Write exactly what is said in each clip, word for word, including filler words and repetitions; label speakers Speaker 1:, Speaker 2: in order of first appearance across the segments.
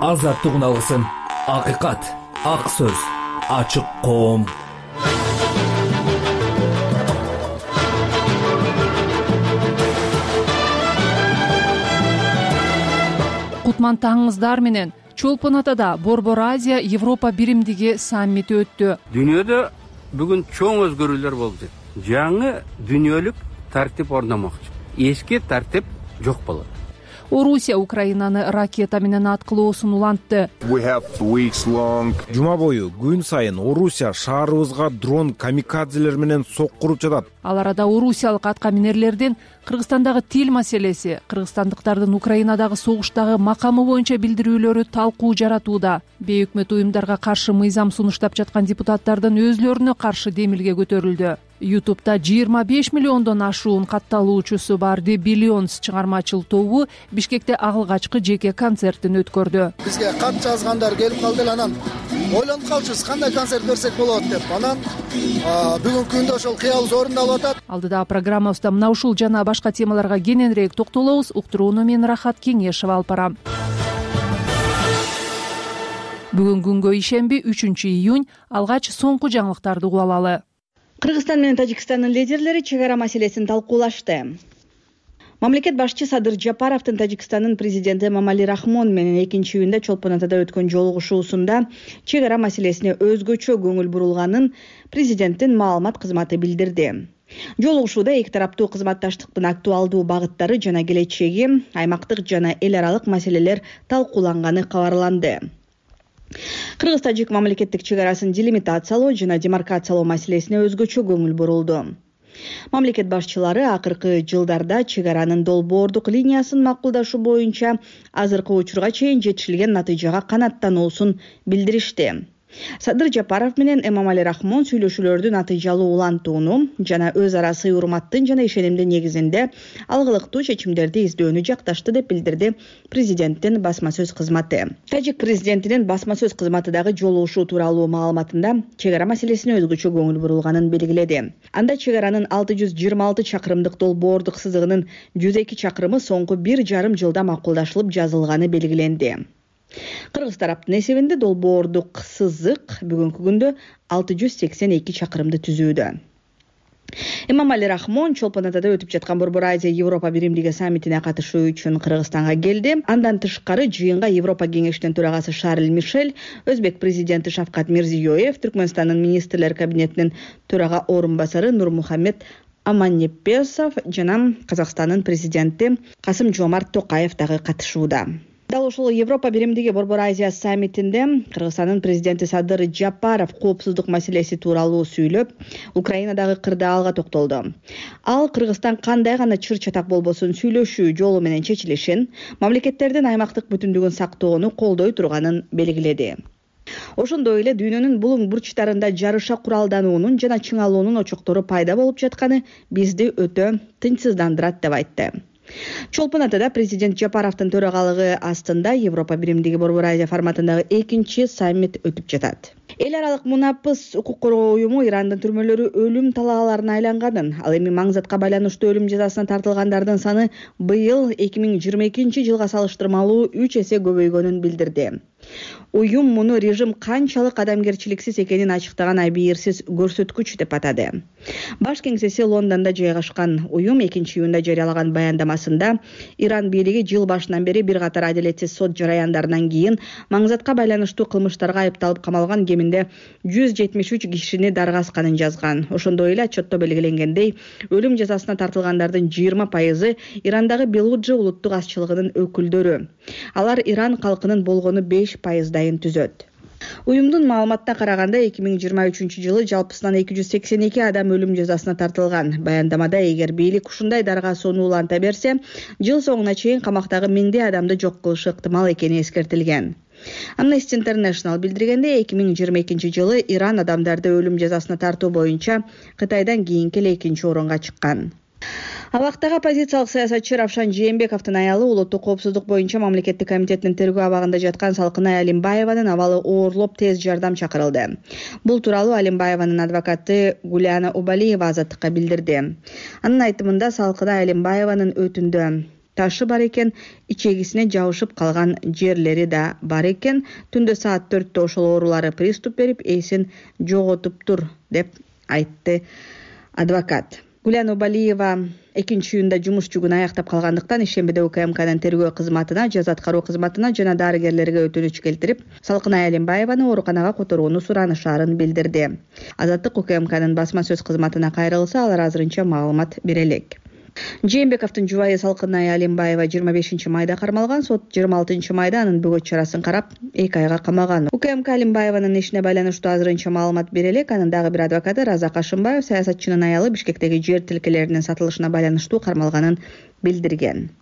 Speaker 1: азаттык уналысын. Акыйкат, ак сөз, ачык коом.
Speaker 2: Кутман таңыңыздар менен. Чолпон Атада Борбор Азия Европа биримдиги саммити өттү.
Speaker 3: Дүйнөдө бүгүн чоң өзгөрүүлөр болуп жатат. Жаңы дүйнөлүк тартип орномокчу. Эски тартип жок болот.
Speaker 2: Орусия Украинаны ракета менен аткылоосун улантты.
Speaker 4: Жума бою күн сайын Орусия шаарыбызга дрон камикадзелер менен соккуруп жатат.
Speaker 2: Ал арада орусиялык атка минерлердин Кыргызстандагы тил маселеси, кыргызстандыктардын Украинадагы согуштагы макамы боюнча билдирүүлөрү талкуу жаратууда. Бейөкмөт уюмдарга каршы мыйзам сунуштап жаткан депутаттардын өзлөрүнө каршы демилге көтөрүлдү. Ютубта жыйырма беш миллиондон ашуун катталуучусу бар The Billions чыгармачыл тобу Бишкекте агылгачкы жеке концертин өткөрдү.
Speaker 5: Бизге кат жазгандар келип калды эле, анан ойлонуп калчубуз кандай концерт берсек болот деп. Анан бүгүнкү күндө ошол кыялыбыз орундалып атат.
Speaker 2: Алдыдагы программабызда мына ушул жана башка темаларга кененирээк токтолобуз. Уктурууну мен Рахат Кеңешева алып барам. Бүгүн күнгө ишемби үчүнчү июнь. Алгач соңку жаңылыктарды угуп алалы.
Speaker 6: Кыргызстан менен Тажикстандын лидерлери чек ара маселесин талкуулашты. Мамлекет башчы Садыр Жапаровдун Тажикстандын президенти Эмомали Рахмон менен экинчи июнда Чолпон Атада өткөн жолугушуусунда чек ара маселесине өзгөчө көңүл бурулганын президенттин маалымат кызматы билдирди. Жолугушууда эки тараптуу кызматташтыктын актуалдуу багыттары жана келечеги, аймактык жана эл аралык маселелер талкууланганы кабарланды. Кыргыз-тажик мамлекеттик чек арасын делимитациялоо жана демаркациялоо маселесине өзгөчө көңүл бурулду. Мамлекет башчылары акыркы жылдарда чек аранын долбоордук линиясын макулдашуу боюнча азыркы учурга чейин жетишилген натыйжага канааттануусун билдиришти. Садыр Жапаров менен Эмомали Рахмон сүйлөшүүлөрдү натыйжалуу улантууну жана өз ара сый урматтын жана ишенимдин негизинде алгылыктуу чечимдерди издөөнү жакташты деп билдирди президенттин басма сөз кызматы. Тажик президентинин басма сөз кызматы дагы жолугушуу тууралуу маалыматында чек ара маселесине өзгөчө көңүл бурулганын белгиледи. Анда чек аранын алты жүз жыйырма алты чакырымдык долбоордук сызыгынын жүз эки чакырымы соңку бир жарым жылда макулдашылып жазылганы белгиленди. Кыргыз тараптын эсебинде долбоордук сызык бүгүнкү күндө алты жүз сексен эки чакырымды түзүүдө. Эмомали Рахмон Чолпон Атада өтүп жаткан Борбор Азия Европа биримдиги саммитине катышуу үчүн Кыргызстанга келди. Андан тышкары жыйынга Европа кеңешинин төрагасы Шарль Мишель, Өзбек президенти Шавкат Мирзиёев, Түркмөнстандын министрлер кабинетинин төрага орун басары Нурмухаммед Аманнепесов жана Казакстандын президенти Касым Жомарт Токаев дагы катышууда. Дал ушул Европа биримдиги Борбор Азия саммитинде Кыргызстандын президенти Садыр Жапаров коопсуздук маселеси тууралуу сүйлөп, Украинадагы кырдаалга токтолду. Ал Кыргызстан кандай гана чыр-чатак болбосун сүйлөшүү жолу менен чечилишин, мамлекеттердин аймактык бүтүндүгүн сактоону колдой турганын белгиледи. Ошондой эле дүйнөнүн булуң бурчтарында жарыша куралдануунун жана чыңалуунун очоктору пайда болуп жатканы бизди өтө тынчсыздандырат деп айтты. Чолпон Атада президент Жапаровдун төрагалыгы астында Европа биримдиги Борбор Азия форматындагы экинчи саммит өтүп жатат. Эл аралык мунапыс укук коргоо уюму Ирандын түрмөлөрү өлүм талааларына айланганын, ал эми маңзатка байланыштуу өлүм жазасына тартылгандардын саны быйыл эки миң жыйырма экинчи жылга салыштырмалуу үч эсе көбөйгөнүн билдирди. Уюм муну режим канчалык адамгерчиликсиз экенин ачыктаган абийирсиз көрсөткүч деп атады. Баш кеңсеси Лондондо жайгашкан уюм экинчи июнда жарыялаган баяндамасында Иран бийлиги жыл башынан бери бир катар адилетсиз сот жараяндарынан кийин маңзатка байланыштуу кылмыштарга айыпталып камалган кеминде жүз жетимиш үч кишини даргасканын жазган. Ошондой эле отчетто белгиленгендей, өлүм жазасына тартылгандардын жыйырма пайызы Ирандагы Белуджи улуттук азчылыгынын өкүлдөрү. Алар Иран калкынын болгону беш пайыздайын түзөт. Уюмдун маалыматына караганда эки миң жыйырма үчүнчү жылы жалпысынан эки жүз сексен эки адам өлүм жазасына тартылган. Баяндамада эгер бийлик ушундай даргасууну уланта берсе, жыл соңуна чейин камактагы миңдей адамды жок кылышы ыктымал экени эскертилген. Amnesty International билдиргенде эки миң жыйырма экинчи жылы Иран адамдарды өлүм жазасына тартуу боюнча Кытайдан кийинки эле экинчи орунга чыккан. Абактагы оппозициялык саясатчы Равшан Жээнбековдун аялы улуттук коопсуздук боюнча мамлекеттик комитеттин тергөө абагында жаткан Салкынай Алимбаеванын абалы оорлоп тез жардам чакырылды. Бул тууралуу Алимбаеванын адвокаты Гуляна Убалиева азаттыкка билдирди. Анын айтымында Салкынай Алимбаеванын өтүндө ташы бар экен, ичегисине жабышып калган жерлери да бар экен. Түндө саат төрттө ошол оорулары приступ берип, эсин жоготуптур деп айтты адвокат. Гүлен Убалиева экинчи июнда жумуш жүгүн аяктап калгандыктан ишембиде УКМКнын тергөө кызматына, жаза аткаруу кызматына жана дарыгерлерге өтүнүч келтирип, Салкынай Алимбаеваны ооруканага которууну суранышаарын билдирди. Азаттык УКМКнын басма сөз кызматына кайрылса, алар азырынча маалымат бере элек. Жээнбековдун жубайы Салкынай Алимбаева жыйырма бешинчи майда кармалган. Сот жыйырма алтынчы майда анын бөгөт чарасын карап, эки айга камаган. УКМК Алимбаеванын ишине байланыштуу азырынча маалымат бере элек. Анын дагы бир адвокаты Разак Ашымбаев саясатчынын аялы Бишкектеги жер тилкелеринин сатылышына байланыштуу кармалганын билдирген.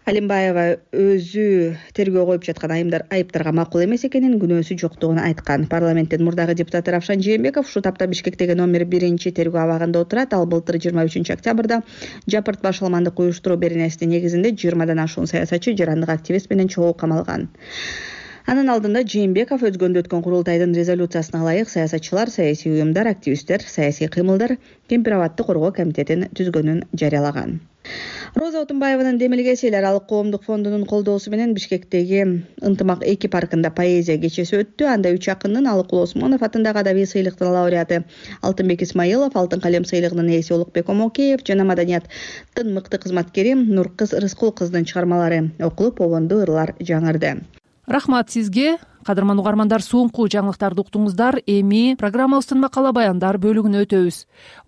Speaker 6: Алимбаева өзү тергөө коюп жаткан айымдар айыптарга макул эмес экенин, күнөөсү жоктугун айткан. Парламенттин мурдагы депутаты Равшан Жээнбеков ушул тапта Бишкектеги номер биринчи тергөө абагында отурат. Ал былтыр жыйырма үчүнчү октябрда Жапырт башаламандык уюштуруу беренесинин негизинде жыйырмадан ашуун саясатчы, жарандык активист менен чогуу камалган. Анын алдында Жээнбеков өзгөндө өткөн курултайдын резолюциясына ылайык саясатчылар, саясий уюмдар, активисттер, саясий кыймылдар кемпир-абадты коргоо комитетин түзгөнүн жарыялаган. Роза Отунбаеванын демилгеси Эл аралык коомдук фондунун колдоосу менен Бишкектеги Ынтымак эки паркында поэзия кечеси өттү. Анда үч акындын Алыкул Осмонов атындагы адабий сыйлыктын лауреаты Алтынбек Исмаилов, Алтын калем сыйлыгынын ээси Улукбек Омокеев жана маданияттын мыкты кызматкери Нуркыз Рыскул кыздын чыгармалары окулуп, обондуу ырлар жаңырды.
Speaker 2: Рахмат сизге. Кадырман угармандар, соңку жаңылыктарды уктуңуздар. Эми программабыздын макала баяндар бөлүгүнө өтөбүз.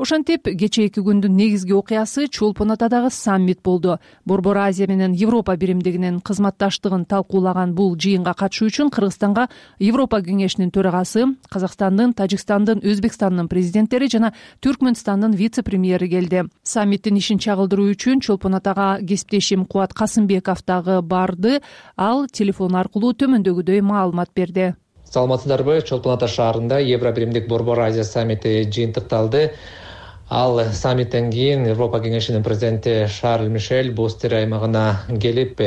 Speaker 2: Ошентип, кечээки күндүн негизги окуясы Чолпон Атадагы саммит болду. Борбор Азия менен Европа биримдигинин кызматташтыгын талкуулаган бул жыйынга катышуу үчүн Кыргызстанга Европа кеңешинин төрагасы, Казакстандын, Тажикстандын, Өзбекстандын президенттери жана Түркмөнстандын вице-премьери келди. Саммиттин ишин чагылдыруу үчүн Чолпон Атага кесиптешим Кубат Касымбеков дагы барды. Ал телефон аркылуу төмөндөгүдөй маалымат берди.
Speaker 7: Саламатсыздарбы? Чолпон Ата шаарында Евро биримдик Борбор Азия саммити жыйынтыкталды. Ал саммиттен кийин Европа кеңешинин президенти Шарль Мишель Бостер аймагына келип,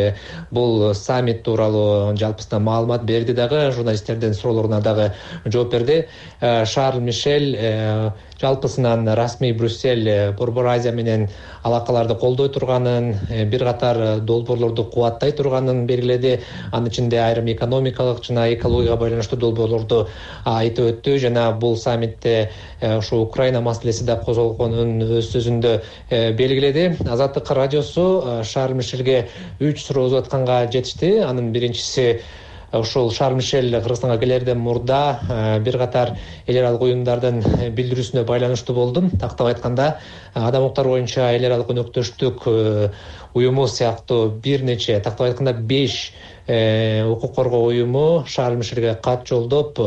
Speaker 7: бул саммит тууралуу жалпысынан маалымат берди, дагы журналисттердин суроолоруна дагы жооп берди. Шарль Мишель жалпысынан расмий Брюссель Борбор Азия менен алакаларды колдой турганын, бир катар долбоорлорду кубаттай турганын белгиледи. Анын ичинде айрым экономикалык жана экологияга байланыштуу долбоорлорду айтып өттү жана бул саммитте ушу Украина маселеси да козголгонун өз сөзүндө белгиледи. Азаттык радиосу Шарль Мишельге үч суроо өзүп атканга жетишти. Анын биринчиси, ушул Шарль Мишель Кыргызстанга келерден мурда бир катар эл аралык уюмдардын билдирүүсүнө байланыштуу болдум. Тактап айтканда, адам укуктары боюнча эл аралык өнөктөштүк уюму сыяктуу бир нече, тактап айтканда беш укук коргоо уюму Шарль Мишельге кат жолдоп,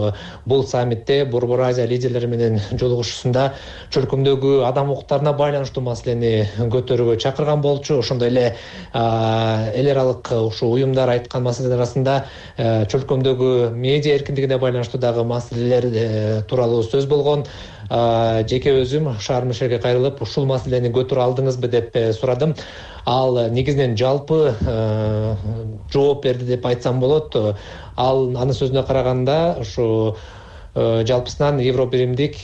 Speaker 7: бул саммитте Борбор Азия лидерлери менен жолугушуусунда чөлкөмдөгү адам укуктарына байланыштуу маселени көтөрүүгө чакырган болчу. Ошондой эле эл аралык ушул уюмдар айткан маселелер арасында чөлкөмдөгү медиа эркиндигине байланыштуу дагы маселелер тууралуу сөз болгон. Жеке өзүм Шарль Мишельге кайрылып, ушул маселени көтөрө алдыңызбы деп сурадым. Ал негизинен жалпы жооп берди деп айтсам болот. Ал анын сөзүнө караганда, ушу жалпысынан Евро биримдик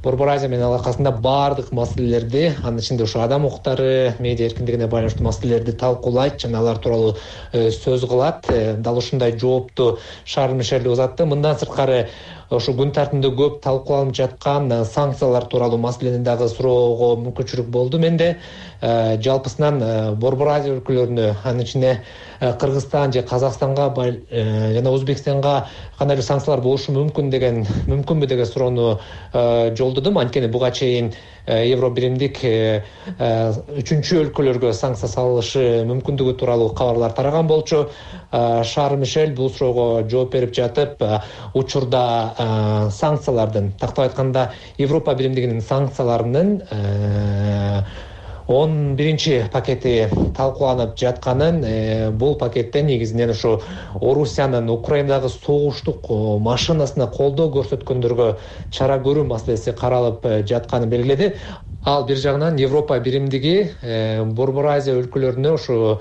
Speaker 7: Борбор Азия менен алакасында баардык маселелерди, анын ичинде ушу адам укуктары, медиа эркиндигине байланыштуу маселелерди талкуулайт жана алар тууралуу сөз кылат. Дал ушундай жоопту Шарль Мишель узатты. Мындан сырткары ошо күн тартымында көп талкууланып жаткан санкциялар тууралуу маселени дагы суроого мүмкүнчүлүк болду менде. Жалпысынан Борбор Азия өлкөлөрүнө, анын ичинде Кыргызстан же Казакстанга жана Өзбекстанга кандайдыр санкциялар болушу мүмкүн деген мүмкүнбү деген суроону жолдодум. Анткени буга чейин Евро биримдик үчүнчү өлкөлөргө санкция салышы мүмкүндүгү тууралуу кабарлар тараган болчу. Шарль Мишель бул суроого жооп берип жатып, учурда санкциялардын, тактап айтканда Европа биримдигинин санкцияларынын он биринчи пакети талкууланып жатканын, бул пакеттен негизинен ушу Орусиянын Украинадагы согуштук машинасына колдоо көрсөткөндөргө чара көрүү маселеси каралып жатканын белгиледи. Ал бир жагынан Европа биримдиги Борбор Азия өлкөлөрүнө ушу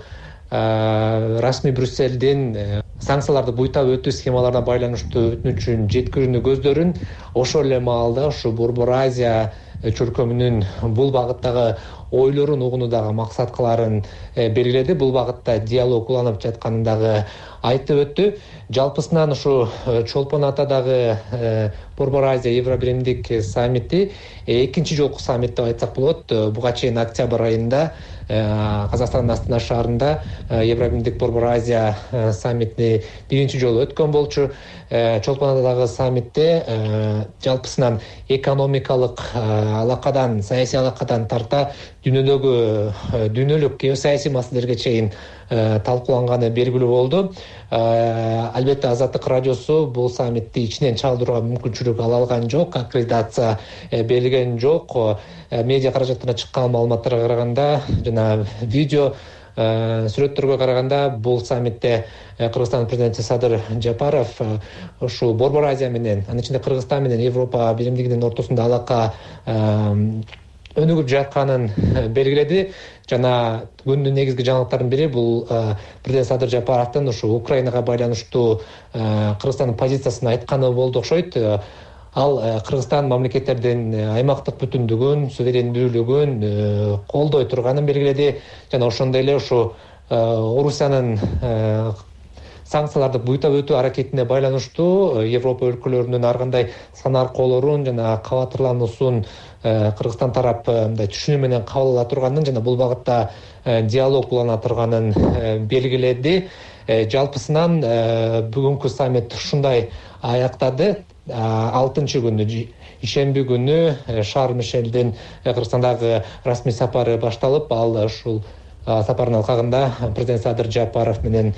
Speaker 7: расмий Брюссельдин санкцияларды буйтап өтүү схемаларына байланыштуу өтүнүчүн жеткирүүнү көздөрүн, ошол эле маалда ушу Борбор Азия чөлкөмүнүн бул багыттагы ойлорун угуунудагы максаткаларын белгиледи. Бул багытта диалог уланып жатканын дагы айтып өттү. Жалпысынан ушу Чолпон Атадагы Борбор Азия Евро биримдик саммити экинчи жолку саммит деп айтсак болот. Буга чейин октябрь айында Казакстандын Астана шаарында Евро биримдик Борбор Азия саммити биринчи жолу өткөн болчу. Чолпон Атадагы саммитте жалпысынан экономикалык алакадан, саясий алакадан тарта дүйнөдөгү дүйнөлүк геосаясий маселелерге чейин талкууланганы белгилүү болду. Албетте Азаттык радиосу бул саммитти ичинен чалдырууга мүмкүнчүлүк ала алган жок, аккредитация берилген жок. Медиа каражаттарына чыккан маалыматтарга караганда жана видео сүрөттөргө караганда бул саммитте Кыргызстан президенти Садыр Жапаров ушул Борбор Азия менен, анын ичинде Кыргызстан менен Европа биримдигинин ортосунда алака өнүгүп жатканын белгиледи. Жана күндүн негизги жаңылыктарынын бири бул президент Садыр Жапаровдун ушу Украинага байланыштуу Кыргызстандын позициясын айтканы болду окшойт. Ал Кыргызстан мамлекеттердин аймактык бүтүндүгүн, суверендүүлүгүн колдой турганын белгиледи. Жана ошондой эле ушу Орусиянын санкцияларды буйтап өтүү аракетине байланыштуу Европа өлкөлөрүнүн ар кандай санаркоолорун жана кабатырлануусун Кыргызстан тарап мындай түшүнүү менен кабыл ала турганын жана бул багытта диалог улана турганын белгиледи. Жалпысынан бүгүнкү саммит ушундай аяктады. алтынчы күнү ишемби күнү Шарм-эль-Шейхтен Кыргызстандагы расмий сапары башталып, ал ушул сапардын алкагында президент Садыр Жапаров менен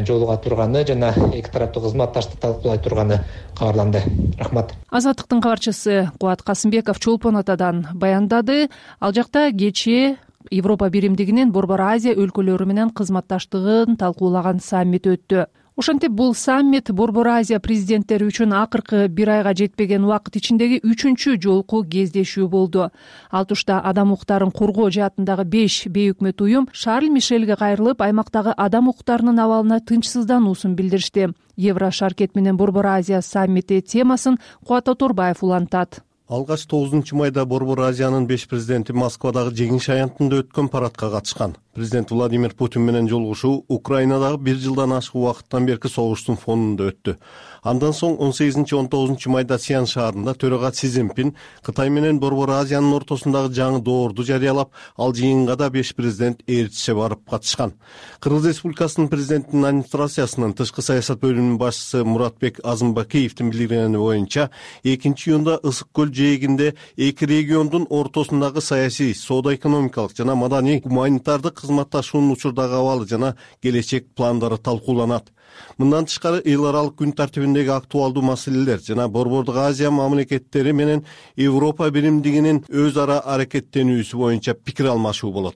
Speaker 7: жолуга турганы жана эки тараптуу кызматташтыкты талкуулай турганы кабарланды. Рахмат.
Speaker 2: Азаттыктын кабарчысы Кубат Касымбеков Чолпон Атадан баяндады. Ал жакта кечээ Европа биримдигинин Борбор Азия өлкөлөрү менен кызматташтыгын талкуулаган саммит өттү. Ошентип бул саммит Борбор Азия президенттери үчүн акыркы бир айга жетпеген убакыт ичиндеги үчүнчү жолку кездешүү болду. Ал тушта адам укуктарын коргоо жаатындагы беш бейөкмөт уюм Шарль-Мишельге кайрылып, аймактагы адам укуктарынын абалына тынчсыздануусун билдиришти. Евро шаркет менен Борбор Азия саммити темасын Кубат Оторбаев улантат.
Speaker 8: Алгач тогузунчу майда Борбор Азиянын беш президенти Москвадагы жеңиш аянтында өткөн парадка катышкан. Президент Владимир Путин менен жолугушуу Украинадагы бир жылдан ашык убакыттан берки согуштун фонунда өттү. Андан соң он сегизинчи он тогузунчу майда Сиан шаарында төрага Си Цзиньпин Кытай менен Борбор Азиянын ортосундагы жаңы доорду жарыялап, ал жыйынга да беш президент ээрчисе барып катышкан. Кыргыз Республикасынын президентинин администрациясынын тышкы саясат бөлүмүнүн башчысы Муратбек Азымбакиевдин билдиргени боюнча, экинчи июнда Ысык көл жээгинде эки региондун ортосундагы саясий, соода-экономикалык жана маданий гуманитардык кызматташуунун учурдагы абалы жана келечек пландары талкууланат. Мындан тышкары эл аралык күн тартибиндеги актуалдуу маселелер жана Борбордук Азия мамлекеттери менен Европа биримдигинин өз ара аракеттенүүсү боюнча пикир алмашуу болот.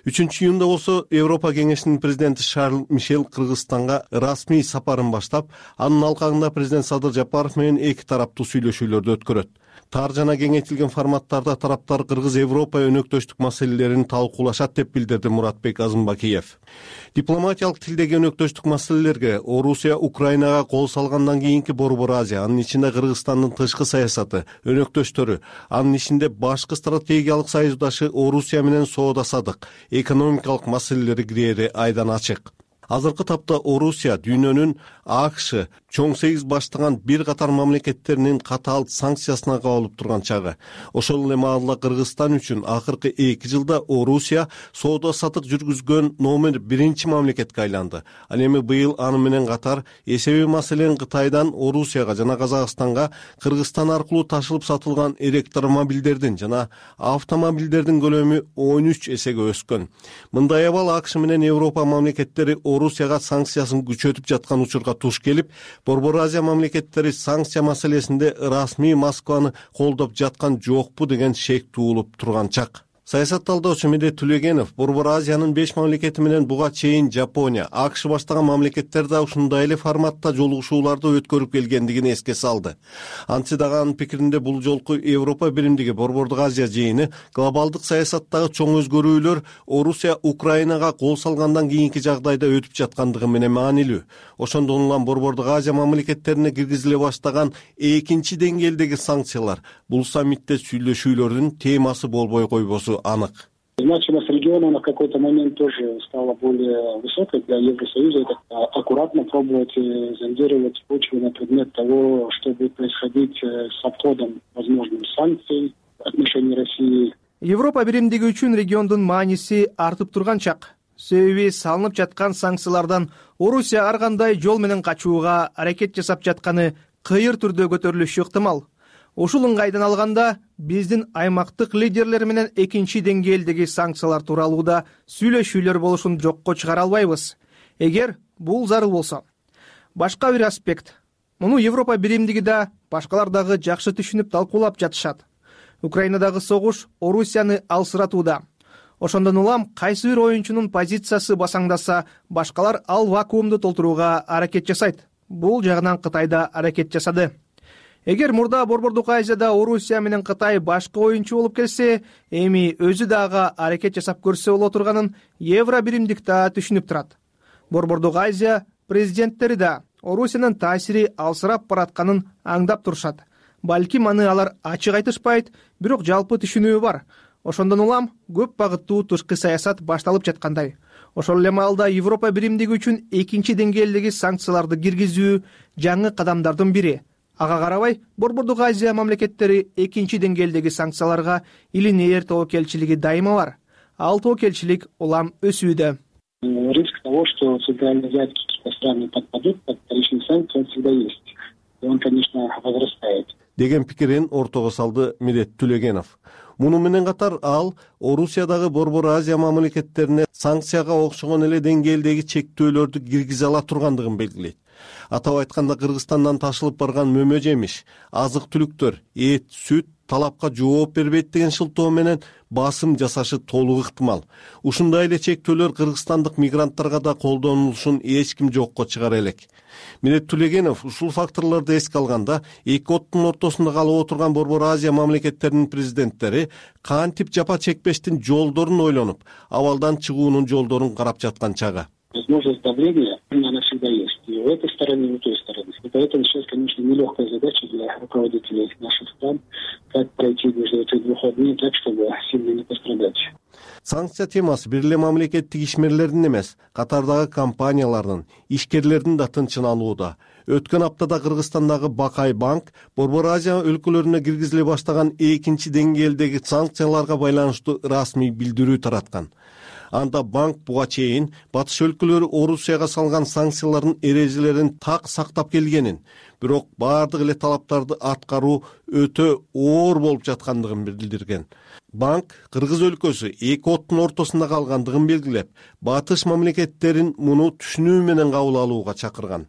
Speaker 8: үчүнчү июнда болсо Европа кеңешинин президенти Шарль-Мишель Кыргызстанга расмий сапарын баштап, анын алкагында президент Садыр Жапаров менен эки тараптуу сүйлөшүүлөрдү өткөрөт. Тар жана кеңейтилген форматтарда тараптар Кыргыз-Европа өнөктөштүк маселелерин талкуулашат деп билдирди Муратбек Азымбакиев. Дипломатиялык тилдеги өнөктөштүк маселелерге Орусия Украинага кол салгандан кийинки Борбор Азия, анын ичинде Кыргызстандын тышкы саясаты, өнөктөштөрү, анын ичинде башкы стратегиялык союздашы Орусия менен соода-садык, экономикалык маселелери кирери айдан ачык. Азыркы тапта Орусия дүйнөнүн АКШ чоң сегиз баштаган бир катар мамлекеттеринин катаал санкциясына кабылып турган чагы. Ошол эле маалда Кыргызстан үчүн акыркы эки жылда Орусия соода-сатык жүргүзгөн номер биринчи мамлекетке айланды. Ал эми быйыл аны менен катар эсеби маселен Кытайдан Орусияга жана Казакстанга Кыргызстан аркылуу ташылып сатылган электромобилдердин жана автомобилдердин көлөмү он үч эсеге өскөн. Мындай абал АКШ менен Европа мамлекеттери Орусияга санкциясын күчөтүп жаткан учурга туш келип, Борбор Азия мамлекеттери санкция маселесинде расмий Москваны колдоп жаткан жокпу деген шек туулуп турган чак. Саясат талдаучу Медет Түлегенов Борбор Азиянын беш мамлекети менен буга чейин Жапония, АКШ баштаган мамлекеттер да ушундай эле форматта жолугушууларды өткөрүп келгендигин эске салды. Антсе дагы анын пикиринде бул жолку Европа биримдиги Борбордук Азия жыйыны глобалдык саясаттагы чоң өзгөрүүлөр Орусия Украинага кол салгандан кийинки жагдайда өтүп жаткандыгы менен маанилүү. Ошондон улам Борбордук Азия мамлекеттерине киргизиле баштаган экинчи деңгээлдеги санкциялар бул саммитте сүйлөшүүлөрдүн темасы болбой койбосу анык.
Speaker 9: Значимость региона на какой-то момент тоже стала более высокой для Евросоюза. Это аккуратно пробовать зондировать почву на предмет того, что будет происходить с обходом возможных санкций в отношении России.
Speaker 10: Европа биримдиги үчүн региондун мааниси артып турган чак. Себеби салынып жаткан санкциялардан Орусия ар кандай жол менен качууга аракет жасап жатканы кыйыр түрдө көтөрүлүшү ыктымал. Ушул ыңгайдан алганда биздин аймактык лидерлер менен экинчи деңгээлдеги санкциялар тууралуу да сүйлөшүүлөр болушун жокко чыгара албайбыз, эгер бул зарыл болсо. Башка бир аспект. Муну Европа биримдиги да, башкалар дагы жакшы түшүнүп талкуулап жатышат. Украинадагы согуш Орусияны алсыратууда. Ошондон улам кайсы бир оюнчунун позициясы басаңдаса, башкалар ал вакуумду толтурууга аракет жасайт. Бул жагынан Кытай да аракет жасады. Эгер мурда Борбордук Азияда Орусия менен Кытай башкы оюнчу болуп келсе, эми өзү дагы аракет жасап көрсө боло турганын Евро биримдик да түшүнүп турат. Борбордук Азия президенттери да Орусиянын таасири алсырап баратканын аңдап турушат. Балким аны алар ачык айтышпайт, бирок жалпы түшүнүү бар. Ошондон улам көп багыттуу тышкы саясат башталып жаткандай. Ошол эле маалда Европа биримдиги үчүн экинчи деңгээлдеги санкцияларды киргизүү жаңы кадамдардын бири. Ага карабай, Борбордук Азия мамлекеттери экинчи деңгээлдеги санкцияларга илинээр тобокелчилиги дайыма бар. Ал тобокелчилик улам өсүүдө.
Speaker 9: Риск того, что центральноазиатские какие-то страны подпадут под вторичные санкции, он всегда есть. И он, конечно, возрастает.
Speaker 8: Деген пикирин ортого салды Мирет Түлөгенов. Муну менен катар ал Орусиядагы Борбор Азия мамлекеттерине санкцияга окшогон эле деңгээлдеги чектөөлөрдү киргизе ала тургандыгын белгилейт. Атап айтканда, Кыргызстандан ташылып барган мөмө жемиш, азык-түлүктөр, эт, сүт талапка жооп бербейт деген шылтоо менен басым жасашы толук ыктымал. Ушундай эле чектөөлөр кыргызстандык мигранттарга да колдонулушун эч ким жокко чыгара элек. Мирет Түлөгенов ушул факторлорду эске алганда, эки оттун ортосунда калып отурган Борбор Азия мамлекеттеринин президенттери кантип жапа чекпештин жолдорун ойлонуп, абалдан чыгуунун жолдорун карап жаткан чагы.
Speaker 9: Возможность давления, она всегда есть. И у этой стороны, и у той стороны. И поэтому сейчас, конечно, нелегкая задача для руководителей наших стран, как пройти между этих двух огней так, чтобы сильно не пострадать.
Speaker 8: Санкция темасы бир эле мамлекеттик ишмерлердин эмес, катардагы компаниялардын, ишкерлердин да тынчын алууда. Өткөн аптада Кыргызстандагы Бакай банк Борбор Азия өлкөлөрүнө киргизиле баштаган экинчи деңгээлдеги санкцияларга байланыштуу расмий билдирүү тараткан. Анда банк буга чейин батыш өлкөлөрү Орусияга салган санкциялардын эрежелерин так сактап келгенин, бирок бардык эле талаптарды аткаруу өтө оор болуп жаткандыгын билдирген. Банк Кыргыз өлкөсү эки оттун ортосунда калгандыгын белгилеп, батыш мамлекеттерин муну түшүнүү менен кабыл алууга чакырган.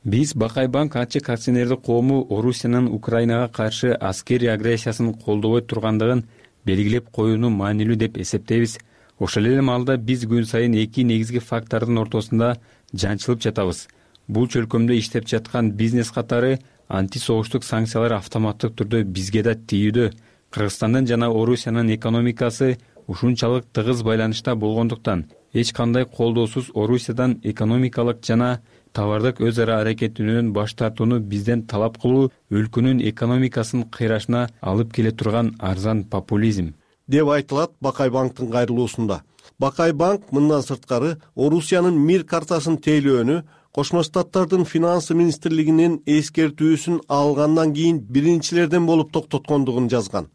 Speaker 11: Биз Бакай банк ачык акционердик коому Орусиянын Украинага каршы аскерий агрессиясын колдобой тургандыгын белгилеп коюуну маанилүү деп эсептейбиз. Ошол эле маалда биз күн сайын эки негизги фактордун ортосунда жанчылып жатабыз. Бул чөлкөмдө иштеп жаткан бизнес катары антисогуштук санкциялар автоматтык түрдө бизге да тийүүдө. Кыргызстандын жана Орусиянын экономикасы ушунчалык тыгыз байланышта болгондуктан эч кандай колдоосуз Орусиядан экономикалык жана товардык өз ара аракеттенүүдөн баш тартууну бизден талап кылуу өлкөнүн экономикасын кыйрашына алып келе турган арзан популизм
Speaker 8: деп айтылат Бакай банктын кайрылуусунда. Бакай банк мындан сырткары Орусиянын мир картасын тейлөөнү Кошмо Штаттардын финансы министрлигинин эскертүүсүн алгандан кийин биринчилерден болуп токтоткондугун жазган.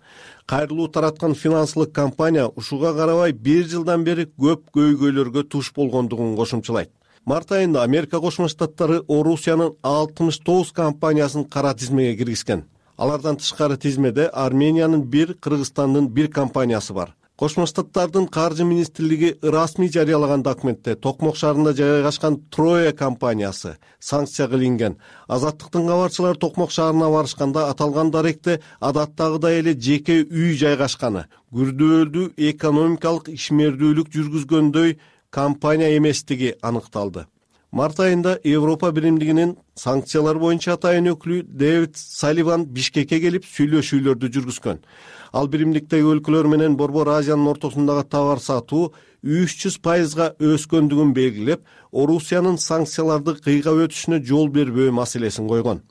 Speaker 8: Кайрылуу тараткан финансылык компания ушуга карабай бир жылдан бери көп көйгөйлөргө туш болгондугун кошумчалайт. Март айында Америка Кошмо Штаттары Орусиянын алтымыш тогуз компаниясын кара тизмеге киргизген. Алардан тышкары тизмеде Армениянын бир, Кыргызстандын бир компаниясы бар. Кошмо Штаттардын каржы министрлиги расмий жарыялаган документте Токмок шаарында жайгашкан Троя компаниясы санкцияга илинген. Азаттыктын кабарчылары Токмок шаарына барышканда аталган даректе адаттагыдай эле жеке үй жайгашканы, күрдөөлдүү экономикалык ишмердүүлүк жүргүзгөндөй компания эместиги аныкталды. Март айында Европа биримдигинин санкциялар боюнча атайын өкүлү Дэвид Салливан Бишкекке келип сүйлөшүүлөрдү жүргүзгөн. Ал биримдиктеги өлкөлөр менен Борбор Азиянын ортосундагы товар сатуу үч жүз пайызга өскөндүгүн белгилеп, Орусиянын санкцияларды кыйгап өтүшүнө жол бербөө маселесин койгон.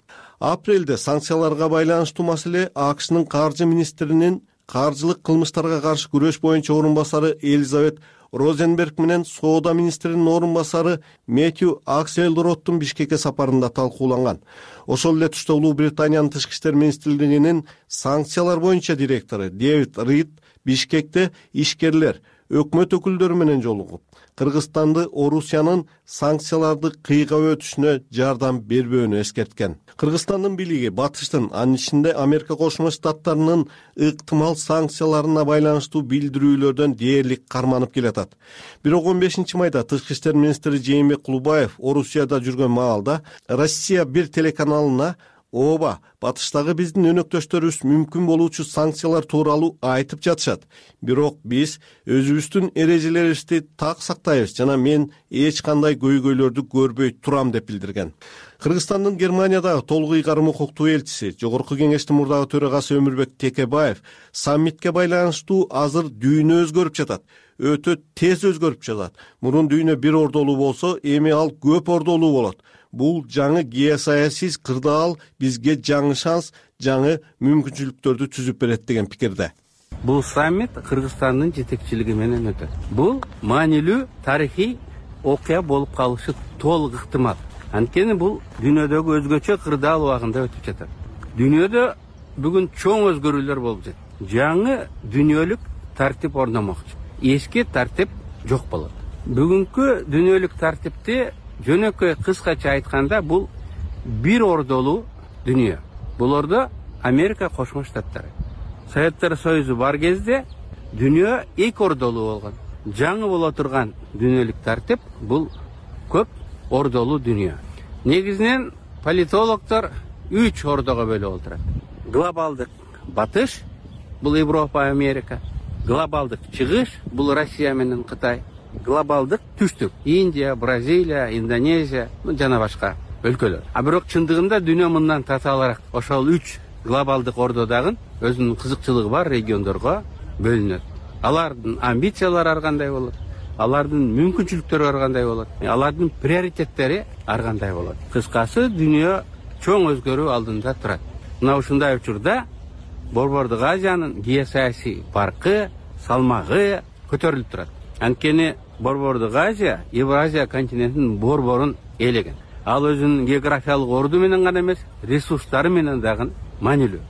Speaker 8: Апрелде санкцияларга байланыштуу маселе АКШнын каржы министринин каржылык кылмыштарга каршы күрөш боюнча орун басары Элизабет Розенберг менен соода министринин орун басары Мэтью Акселроттун Бишкекке сапарында талкууланган. Ошол эле тушта Улуу Британиянын тышкы иштер министрлигинин санкциялар боюнча директору Дэвид Рид Бишкекте ишкерлер, өкмөт өкүлдөрү менен жолугуп, Кыргызстанды Орусиянын санкцияларды кыйгап өтүшүнө жардам бербөөнү эскерткен. Кыргызстандын бийлиги батыштын, анын ичинде Америка Кошмо Штаттарынын ыктымал санкцияларына байланыштуу билдирүүлөрдөн дээрлик карманып келатат. Бирок он бешинчи майда тышкы иштер министри Жээнбек Кулубаев Орусияда жүргөн маалда Россия бир телеканалына ооба, батыштагы биздин өнөктөштөрүбүз мүмкүн болуучу санкциялар тууралуу айтып жатышат. Бирок биз өзүбүздүн эрежелерибизди так сактайбыз жана мен эч кандай көйгөйлөрдү көрбөй турам деп билдирген. Кыргызстандын Германиядагы толук ыйгарым укуктуу элчиси, Жогорку Кеңештин мурдагы төрагасы Өмүрбек Текебаев саммитке байланыштуу азыр дүйнө өзгөрүп жатат. Өтө тез өзгөрүп жатат. Мурун дүйнө бир ордолуу болсо, эми ал көп ордолуу болот. Бул жаңы геосаясий кырдаал бизге жаңы шанс, жаңы мүмкүнчүлүктөрдү түзүп берет деген пикирде.
Speaker 3: Бул саммит Кыргызстандын жетекчилиги менен өтөт. Бул маанилүү тарыхый окуя болуп калышы толук ыктымал. Анткени бул дүйнөдөгү өзгөчө кырдаал убагында өтүп жатат. Дүйнөдө бүгүн чоң өзгөрүүлөр болуп жатат. Жаңы дүйнөлүк тартип орномокчу. Эски тартип жок болот. Бүгүнкү дүйнөлүк тартипти жөнөкөй кыскача айтканда бул бир ордолуу дүйнө. Бул ордо Америка Кошмо Штаттары. Советтер Союзу бар кезде дүйнө эки ордолуу болгон. Жаңы боло турган дүйнөлүк тартип бул көп ордолуу дүйнө. Негизинен политологдор үч ордого бөлүп отурат. Глобалдык батыш бул Европа, Америка. Глобалдык чыгыш бул Россия менен Кытай. Глобалдык түштүк Индия, Бразилия, Индонезия жана башка өлкөлөр. А бирок чындыгында дүйнө мындан татаалыраак. Ошол үч глобалдык ордо дагы өзүнүн кызыкчылыгы бар региондорго бөлүнөт. Алардын амбициялары ар кандай болот, алардын мүмкүнчүлүктөрү ар кандай болот, алардын приоритеттери ар кандай болот. Кыскасы дүйнө чоң өзгөрүү алдында турат. Мына ушундай учурда Борбордук Азиянын геосаясий паркы, салмагы көтөрүлүп турат. Анткени Борбордук Азия Евразия континентинин борборун ээлеген. Ал өзүнүн географиялык орду менен гана эмес, ресурстары менен дагы маанилүү.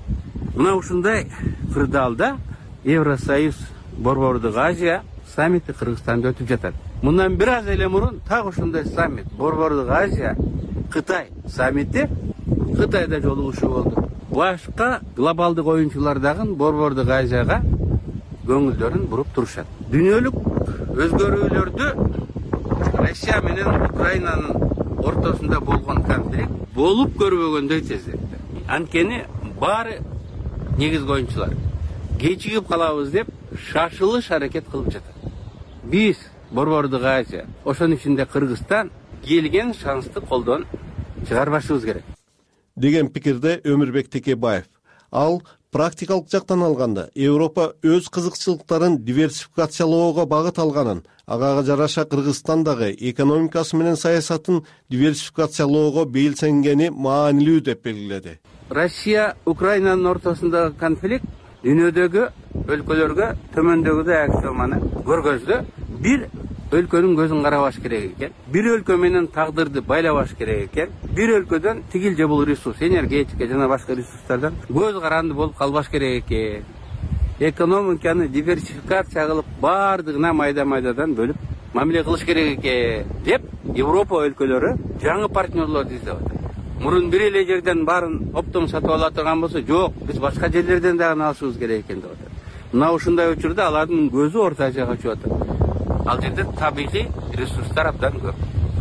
Speaker 3: Мына ушундай кырдаалда Евросоюз Борбордук Азия саммити Кыргызстанда өтүп жатат. Мындан бир аз эле мурун так ушундай саммит Борбордук Азия Кытай саммити Кытайда жолугушуу болду. Башка глобалдык оюнчулар дагы Борбордук Азияга көңүлдөрүн буруп турушат. Дүйнөлүк өзгөрүүлөрдү Россия менен Украинанын ортосунда болгон конфликт болуп көрбөгөндөй тездетти. Анткени баары негизги оюнчулар кечигип калабыз деп шашылыш аракет кылып жатат. Биз Борбордук Азия, ошонун ичинде Кыргызстан келген шансты колдон чыгарбашыбыз керек
Speaker 8: деген пикирде Өмүрбек Текебаев. Ал практикалык жактан алганда Европа өз кызыкчылыктарын диверсификациялоого багыт алганын, ага жараша Кыргызстандагы экономикасы менен саясатын диверсификациялоого белсенгени маанилүү деп белгиледи.
Speaker 3: Россия Украинанын ортосундагы конфликт дүйнөдөгү өлкөлөргө төмөндөгүдөй аксиоманы көргөздү. Бир өлкөнүн көзүн карабаш керек экен. Бир өлкө менен тагдырды байлабаш керек экен. Бир өлкөдөн тигил же бул ресурс, энергетика жана башка ресурстардан көз каранды болуп калбаш керек экен. Экономиканы диверсификация кылып, баардыгына майда-майдадан бөлүп мамиле кылыш керек экен деп Европа өлкөлөрү жаңы партнерлорду издеп атат. Мурун бир эле жерден баарын оптом сатып ала турган болсо, жок, биз башка жерлерден дагы алышыбыз керек экен деп атат. Мына ушундай учурда алардын көзү Орто Азияга чыгып атат. Ал жерде табигый ресурстар абдан көп.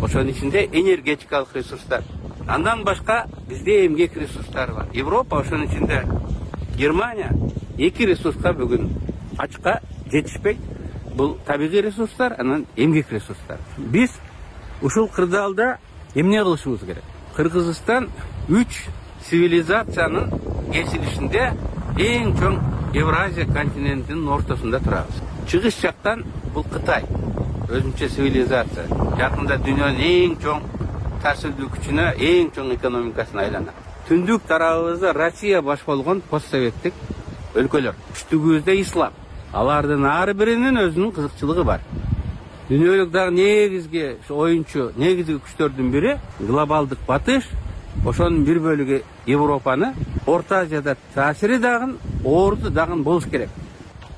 Speaker 3: Ошонун ичинде энергетикалык ресурстар. Андан башка бизде эмгек ресурстары бар. Европа, ошонун ичинде Германия эки ресурска бүгүн ачка жетишпейт. Бул табигый ресурстар, анан эмгек ресурстар. Биз ушул кырдаалда эмне кылышыбыз керек? Кыргызстан үч цивилизациянын кесилишинде эң чоң Евразия континентинин ортосунда турабыз. Чыгыш жактан бул Кытай, өзүнчө цивилизация. Жакында дүйнөнүн эң чоң таасирдүү күчүнө, эң чоң экономикасына айланат. Түндүк тарабыбызда Россия баш болгон постсоветтик өлкөлөр. Үчтүгүбүздө ислам. Алардын ар биринин өзүнүн кызыкчылыгы бар. Дүйнөлүк дагы негизги оюнчу, негизги күчтөрдүн бири глобалдык батыш. Ошонун бир бөлүгү Европаны, Орто Азияда таасири дагы, орду дагы болуш керек.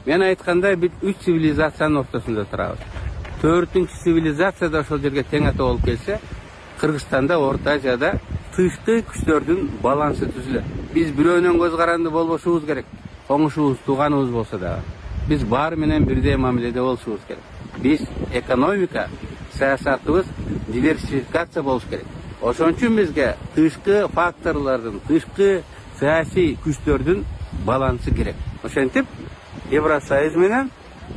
Speaker 3: Мен айткандай биз үч цивилизациянын ортосунда турабыз. Төртүнчү цивилизация да ошол жерге тең ата болуп келсе, Кыргызстанда, Орто Азияда тышкы күчтөрдүн балансы түзүлөт. Биз бирөөнөн көз каранды болбошубуз керек. Коңушубуз, тууганыбыз болсо дагы. Биз баары менен бирдей мамиледе болушубуз керек. Биз экономика саясатыбыз диверсификация болуш керек. Ошон үчүн бизге тышкы факторлордун, тышкы саясий күчтөрдүн балансы керек. Ошентип, Евросоюз менен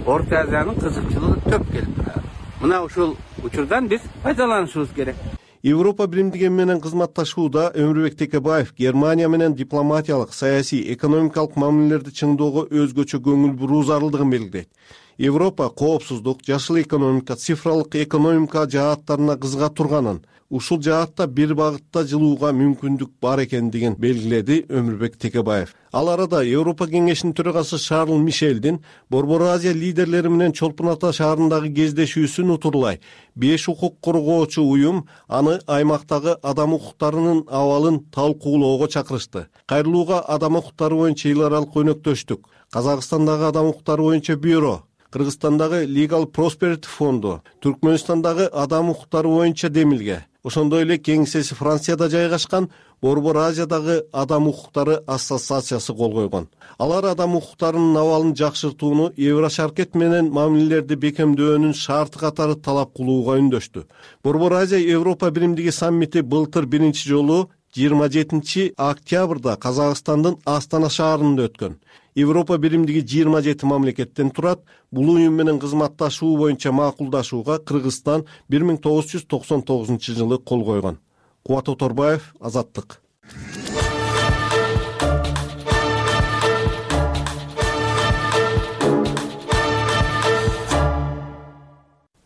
Speaker 3: Орто Азиянын кызыкчылыгы төп келип турат. Мына ушул учурдан биз пайдаланышыбыз керек.
Speaker 8: Европа биримдиги менен кызматташууда Өмүрбек Текебаев Германия менен дипломатиялык, саясий, экономикалык мамилелерди чыңдоого өзгөчө көңүл буруу зарылдыгын белгилейт. Европа коопсуздук, жашыл экономика, цифралык экономика жааттарына кызыга турганын, ушул жаатта бир багытта жылууга мүмкүндүк бар экендигин белгиледи Өмүрбек Текебаев. Ал арада Европа кеңешинин төрагасы Шарл Мишелдин Борбор Азия лидерлери менен Чолпон Ата шаарындагы кездешүүсүн утурлай беш укук коргоочу уюм аны аймактагы адам укуктарынын абалын талкуулоого чакырышты. Кайрылууга адам укуктары боюнча эл аралык өнөктөштүк, Казакстандагы адам укуктары боюнча бюро, Кыргызстандагы Legal Prosperity фонду, Түркмөнстандагы адам укуктары боюнча демилге, ошондой эле кеңсеси Францияда жайгашкан Борбор Азиядагы адам укуктары ассоциациясы кол койгон. Алар адам укуктарынын абалын жакшыртууну Еврошаркет менен мамилелерди бекемдөөнүн шарты катары талап кылууга үндөштү. Борбор Азия Европа биримдиги саммити былтыр биринчи жолу жыйырма жетинчи октябрда Казакстандын Астана шаарында өткөн. Европа биримдиги жыйырма жети мамлекеттен турат. Бул уюм менен кызматташуу боюнча макулдашууга Кыргызстан бир миң тогуз жүз токсон тогузунчу жылы кол койгон. Кубат Оторбаев, Азаттык.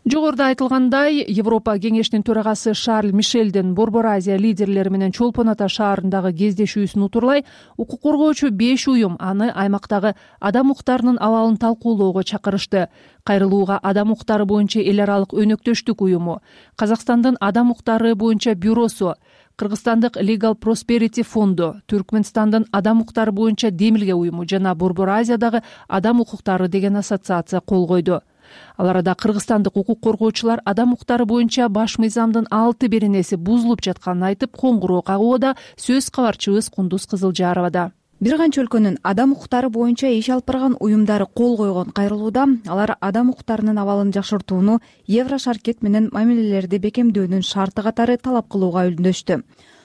Speaker 2: Жогоруда айтылгандай, Европа кеңешинин төрагасы Шарль Мишелдин Борбор Азия лидерлери менен Чолпон Ата шаарындагы кездешүүсүн утурлай укук коргоочу беш уюм аны аймактагы адам укуктарынын абалын талкуулоого чакырышты. Кайрылууга адам укуктары боюнча эл аралык өнөктөштүк уюму, Казакстандын адам укуктары боюнча бюросу, Кыргызстандык Legal Prosperity фонду, Түркмөнстандын адам укуктары боюнча демилге уюму жана Борбор Азиядагы адам укуктары деген ассоциация кол койду. Ал арада кыргызстандык укук коргоочулар адам укуктары боюнча баш мыйзамдын алты беренеси бузулуп жатканын айтып, коңгуроо кагууда, сөз кабарчыбыз Кундуз Кызылжарова да.
Speaker 6: Бир канча өлкөнүн адам укуктары боюнча иш алып барган уюмдары кол койгон кайрылууда алар адам укуктарынын абалын жакшыртууну Еврошаркет менен мамилелерди бекемдөөнүн шарты катары талап кылууга үндөштү.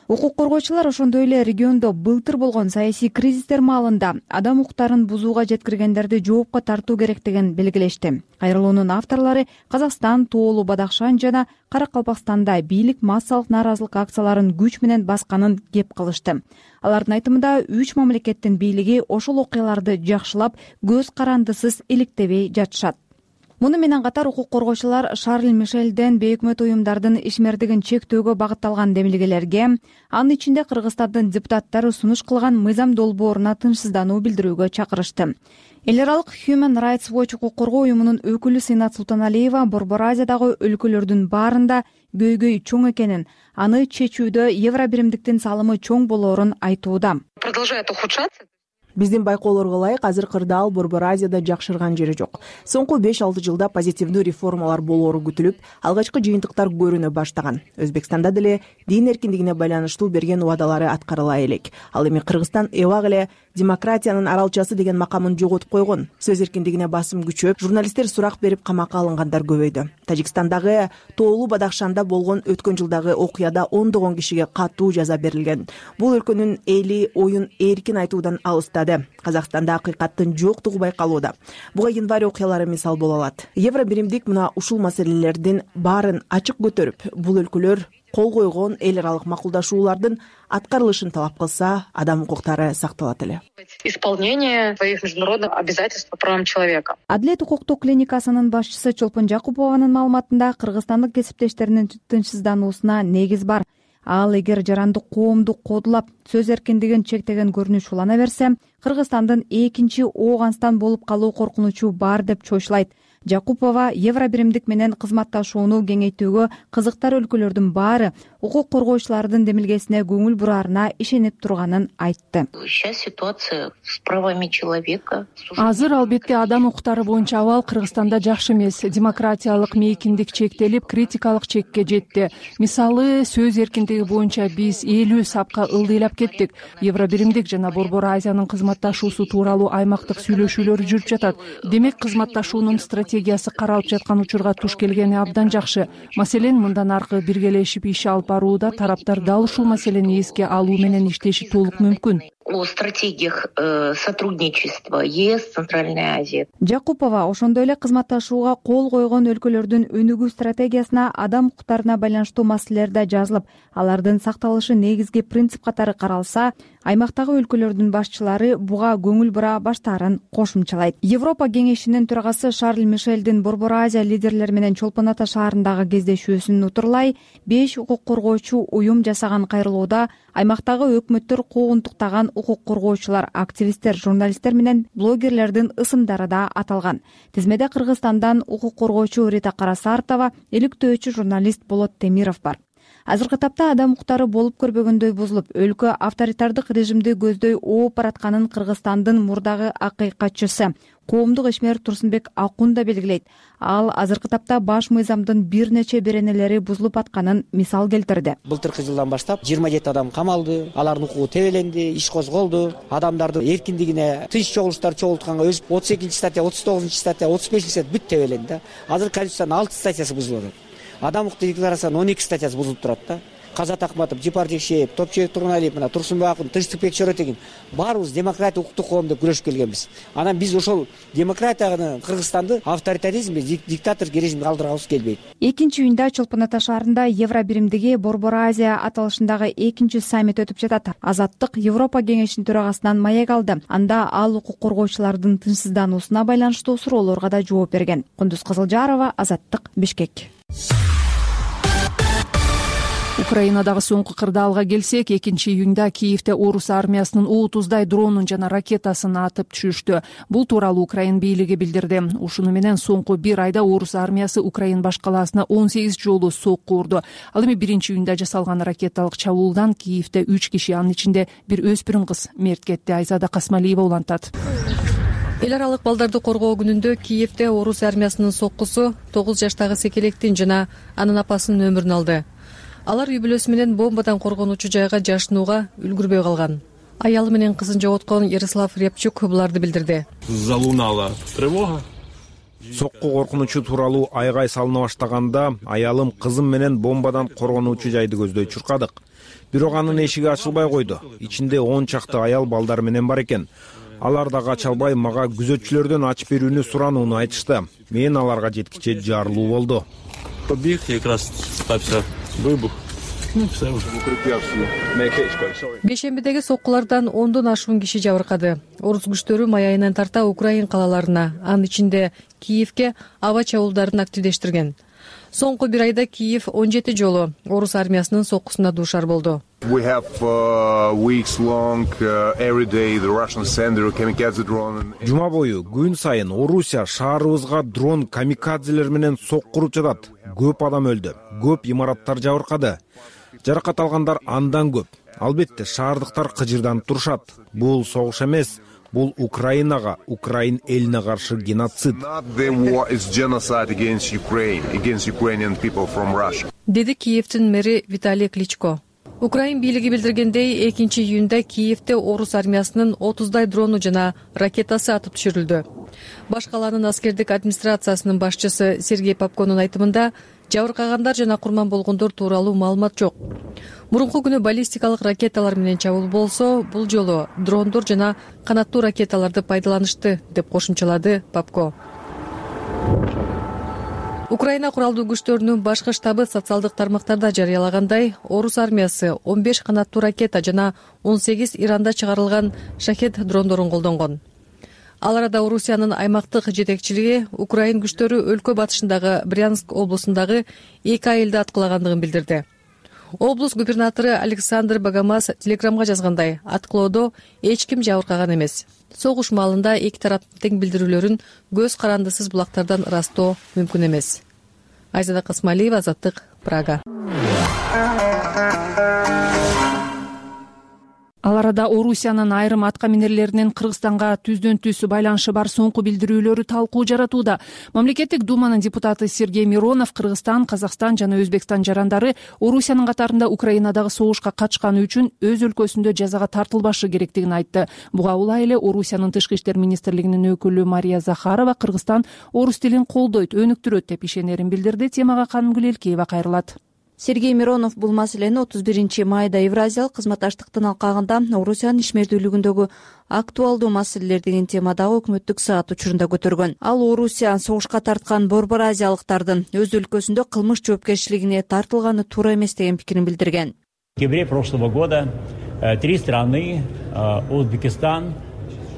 Speaker 6: Укук коргоочулар ошондой эле региондо былтыр болгон саясий кризистер маалында адам укуктарын бузууга жеткиргендерди жоопко тартуу керектигин белгилешти. Кайрылуунун авторлору Казакстан, Тоолу Бадахшан жана Каракалпакстанда бийлик массалык нааразылык акцияларын күч менен басканын кеп кылышты. Алардын айтымында үч мамлекеттин бийлиги ошол окуяларды жакшылап, көз карандысыз иликтебей жатышат. Муну менен катар укук коргоочулар Шарль Мишелден бейөкмөт уюмдардын ишмердигин чектөөгө багытталган демилгелерге, анын ичинде Кыргызстандын депутаттары сунуш кылган мыйзам долбооруна тынчсыздануу билдирүүгө чакырышты. Эл аралык Human Rights Watch укук коргоо уюмунун өкүлү Сыйнат Султаналиева Борбор Азиядагы өлкөлөрдүн баарында көйгөй чоң экенин, аны чечүүдө Евро биримдиктин салымы чоң болоорун айтууда.
Speaker 12: Продолжает ухудшаться.
Speaker 13: Биздин байкоолорго ылайык азыр кырдаал Борбор Азияда жакшырган жери жок. Соңку беш алты жылда позитивдүү реформалар болоору күтүлүп, алгачкы жыйынтыктар көрүнө баштаган. Өзбекстанда деле дин эркиндигине байланыштуу берген убадалары аткарыла элек. Ал эми Кыргызстан эбак эле демократиянын аралчасы деген макамын жоготуп койгон. Сөз эркиндигине басым күчөп, журналисттер сурак берип камакка алынгандар көбөйдү. Тажикстандагы Тоолу Бадахшанда болгон өткөн жылдагы окуяда ондогон кишиге катуу жаза берилген. Бул өлкөнүн эли оюн эркин айтуудан алыстады. Казакстанда акыйкаттын жоктугу байкалууда. Буга январь окуялары мисал боло алат. Евро биримдик мына ушул маселелердин баарын ачык көтөрүп, бул өлкөлөр кол койгон эл аралык макулдашуулардын аткарылышын талап кылса, адам укуктары сакталат эле.
Speaker 12: Исполнение своих международных обязательств по правам человека.
Speaker 6: Адилет укуктук клиникасынын башчысы Чолпон Жакупованын маалыматында Кыргызстандык кесиптештеринин тынчсыздануусуна негиз бар. ал эгер жарандык коомду кодулап сөз эркиндигин чектеген көрүнүш улана берсе, Кыргызстандын экинчи Ооганстан болуп калуу коркунучу бар деп чоочулайт. Жакупова Евробиримдик менен кызматташууну кеңейтүүгө кызыктар өлкөлөрдүн баары укук коргоочулардын демилгесине көңүл бураарына ишенип турганын айтты.
Speaker 12: Сейчас ситуация с правами человека.
Speaker 2: Азыр албетте адам укуктары боюнча абал Кыргызстанда жакшы эмес. Демократиялык мейкиндик чектелип, критикалык чекке жетти. Мисалы, сөз эркиндиги боюнча биз элүү сапка ылдыйлап кеттик. Евробиримдик жана Борбор Азиянын кызматташуусу тууралуу аймактык сүйлөшүүлөр жүрүп жатат. Демек, кызматташуунун стратегиясы каралып жаткан учурга туш келгени абдан жакшы. Маселен, мындан аркы биргелешип иш алып барууда тараптар дал ушул маселени эске алуу менен иштеши толук мүмкүн.
Speaker 12: О стратегиях э, сотрудничества ЕС, Центральная Азия.
Speaker 6: Жакупова ошондой эле кызматташууга кол койгон өлкөлөрдүн өнүгүү стратегиясына адам укуктарына байланыштуу маселелер да жазылып, алардын сакталышы негизги принцип катары каралса, аймактагы өлкөлөрдүн башчылары буга көңүл бура баштаарын кошумчалайт. Европа кеңешинин төрагасы Шарль Мишелдин Борбор Азия лидерлери менен Чолпон Ата шаарындагы кездешүүсүн утурлай, беш укук коргоочу уюм жасаган кайрылууда аймактагы өкмөттөр куугунтуктаган укук коргоочулар, активисттер, журналисттер менен блогерлердин ысымдары да аталган. Тизмеде Кыргызстандан укук коргоочу Рита Карасартова, иликтөөчү журналист Болот Темиров бар. Азыркы тапта адам укуктары болуп көрбөгөндөй бузулуп, өлкө авторитардык режимди көздөй ооп баратканын Кыргызстандын мурдагы акыйкатчысы коомдук ишмер Турсунбек Акун да белгилейт. Ал азыркы тапта баш мыйзамдын бир нече беренелери бузулуп атканын мисал келтирди.
Speaker 14: Былтыркы жылдан баштап жыйырма жети адам камалды, алардын укугу тебеленди, иш козголду. Адамдардын эркиндигине тынч чогулуштар чогултканга өз отуз экинчи статья, отуз тогузунчу статья, отуз бешинчи статья бүт тебеленди да. Азыр Конституциянын алты статьясы бузулуп атат. Адам укукту декларациянын он эки статьясы бузулуп турат да. Казат Акматов, Жипар Жекшеев, Топчубек Тургуналиев, мына Турсунбек Акун, Тынчтыкбек Чоротегин баарыбыз демократия, укуктук коом деп күрөшүп келгенбиз. Анан биз ошол демократияны, Кыргызстанды авторитаризмге, диктатордук режимге калтыргыбыз келбейт.
Speaker 6: экинчи июнда Чолпон Ата шаарында Евробиримдиги Борбор Азия аталышындагы экинчи саммит өтүп жатат. Азаттык Европа кеңешинин төрагасынан маек алды. Анда ал укук коргоочулардын тынчсыздануусуна байланыштуу суроолорго да жооп берген. Кундуз Кызылжарова, Азаттык, Бишкек.
Speaker 2: Украинадагы соңку кырдаалга келсек, экинчи июнда Киевде орус армиясынын отуздай дронун жана ракетасын атып түшүштү. Бул тууралуу Украин бийлиги билдирди. Ушуну менен соңку бир айда орус армиясы Украин баш калаасына он сегиз жолу сокку урду. Ал эми биринчи июнда жасалган ракеталык чабуулдан Киевде үч киши, анын ичинде бир өспүрүм кыз мерт кетти. Айзада Касмалиева улантат.
Speaker 15: Эл аралык балдарды коргоо күнүндө Киевде орус армиясынын соккусу тогуз жаштагы секелектин жана анын апасынын өмүрүн алды. Алар үй бүлөсү менен бомбадан коргонуучу жайга жашынууга үлгүрбөй калган. Аялы менен кызын жоготкон Ярослав Рябчук буларды билдирди.
Speaker 16: Залунала тревога.
Speaker 4: Сокку коркунучу тууралуу айгай салына баштаганда аялым, кызым менен бомбадан коргонуучу жайды көздөй чуркадык. Бирок анын эшиги ачылбай койду. Ичинде он чакты аял балдар менен бар экен. Алар да кача албай мага күзөтчүлөрдөн ачып берүүнү суранууну айтышты. Мен аларга жеткиче жарылуу болду.
Speaker 16: Побег как раз стапся выбух.
Speaker 15: Бейшембидеги соккулардан ондон ашуун киши жабыркады. Орус күчтөрү май айынан тарта Украин калаларына, анын ичинде Киевке аба чабуулдарын активдештирген. Соңку бир айда Киев он жети жолу орус армиясынын соккусуна дуушар болду.
Speaker 17: We have uh, weeks long uh, every day the Russian send their kamikaze drone.
Speaker 4: Жума бою күн сайын Орусия шаарыбызга дрон камикадзелер менен соккуруп жатат. Көп адам өлдү, көп имараттар жабыркады. Жаракат алгандар андан көп. Албетте шаардыктар кыжырданып турушат. Бул согуш эмес, бул Украинага, Украин элине каршы геноцид.
Speaker 15: Деди Киевдин мэри Виталий Кличко. Украин бийлиги билдиргендей, экинчи июнда Киевде орус армиясынын отуздай дрону жана ракетасы атып түшүрүлдү. Баш калаанын аскердик администрациясынын башчысы Сергей Попконун айтымында, жабыркагандар жана курман болгондор тууралуу маалымат жок. Мурунку күнү баллистикалык ракеталар менен чабуул болсо, бул жолу дрондор жана канаттуу ракеталарды пайдаланышты, деп кошумчалады Попко. Украина куралдуу күчтөрүнүн башкы штабы социалдык тармактарда жарыялагандай, орус армиясы он беш канаттуу ракета жана он сегиз Иранда чыгарылган шахет дрондорун колдонгон. Ал арада Орусиянын аймактык жетекчилиги Украин күчтөрү өлкө батышындагы Брянск облусундагы эки айылды аткылагандыгын билдирди. облус губернатору Александр Богомаз телеграмга жазгандай, аткылоодо эч ким жабыркаган эмес. Согуш маалында эки тараптын тең билдирүүлөрүн көз карандысыз булактардан ырастоо мүмкүн эмес. Айзада Касмалиева, Азаттык, Прага.
Speaker 2: Ал арада Орусиянын айрым аткаминерлеринин Кыргызстанга түздөн түз байланышы бар соңку билдирүүлөрү талкуу жаратууда. Мамлекеттик думанын депутаты Сергей Миронов Кыргызстан, Казакстан жана Өзбекстан жарандары Орусиянын катарында Украинадагы согушка катышканы үчүн өз өлкөсүндө жазага тартылбашы керектигин айтты. Буга улай эле Орусиянын Тышкы иштер министрлигинин өкүлү Мария Захарова Кыргызстан орус тилин колдойт, өнүктүрөт деп ишенерин билдирди. Темага Канымгүл Элкеева кайрылат.
Speaker 6: Сергей Миронов бул маселени отуз биринчи майда Евразиялык кызматташтыктын алкагында Орусиянын ишмердүүлүгүндөгү актуалдуу маселелер деген темадагы өкмөттүк саат учурунда көтөргөн. Ал Орусия согушка тарткан борбор азиялыктардын өз өлкөсүндө кылмыш жоопкерчилигине тартылганы туура эмес деген пикирин билдирген.
Speaker 18: В декабре прошлого года три страны Узбекистан,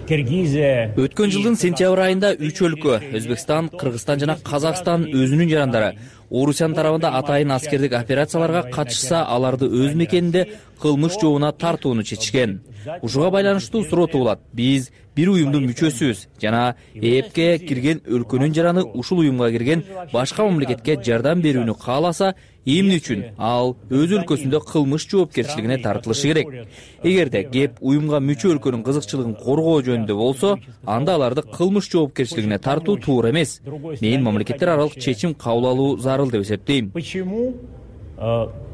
Speaker 18: Киргизия.
Speaker 1: Өткөн жылдын сентябрь айында үч өлкө Өзбекстан, Кыргызстан жана Казакстан өзүнүн жарандары Орусиянын тарабында атайын аскердик операцияларга катышса, аларды өз мекенинде кылмыш жообуна тартууну чечишкен. Ушуга байланыштуу суроо туулат. Биз бир уюмдун мүчөсүбүз жана ЭЭПке кирген өлкөнүн жараны ушул уюмга кирген башка мамлекетке жардам берүүнү кааласа, эмне үчүн ал өз өлкөсүндө кылмыш жоопкерчилигине тартылышы керек? Эгерде кеп уюмга мүчө өлкөнүн кызыкчылыгын коргоо жөнүндө болсо, анда аларды кылмыш жоопкерчилигине тартуу туура эмес. Мен мамлекеттер аралык чечим кабыл алуу зарыл деп эсептейм.
Speaker 18: Почему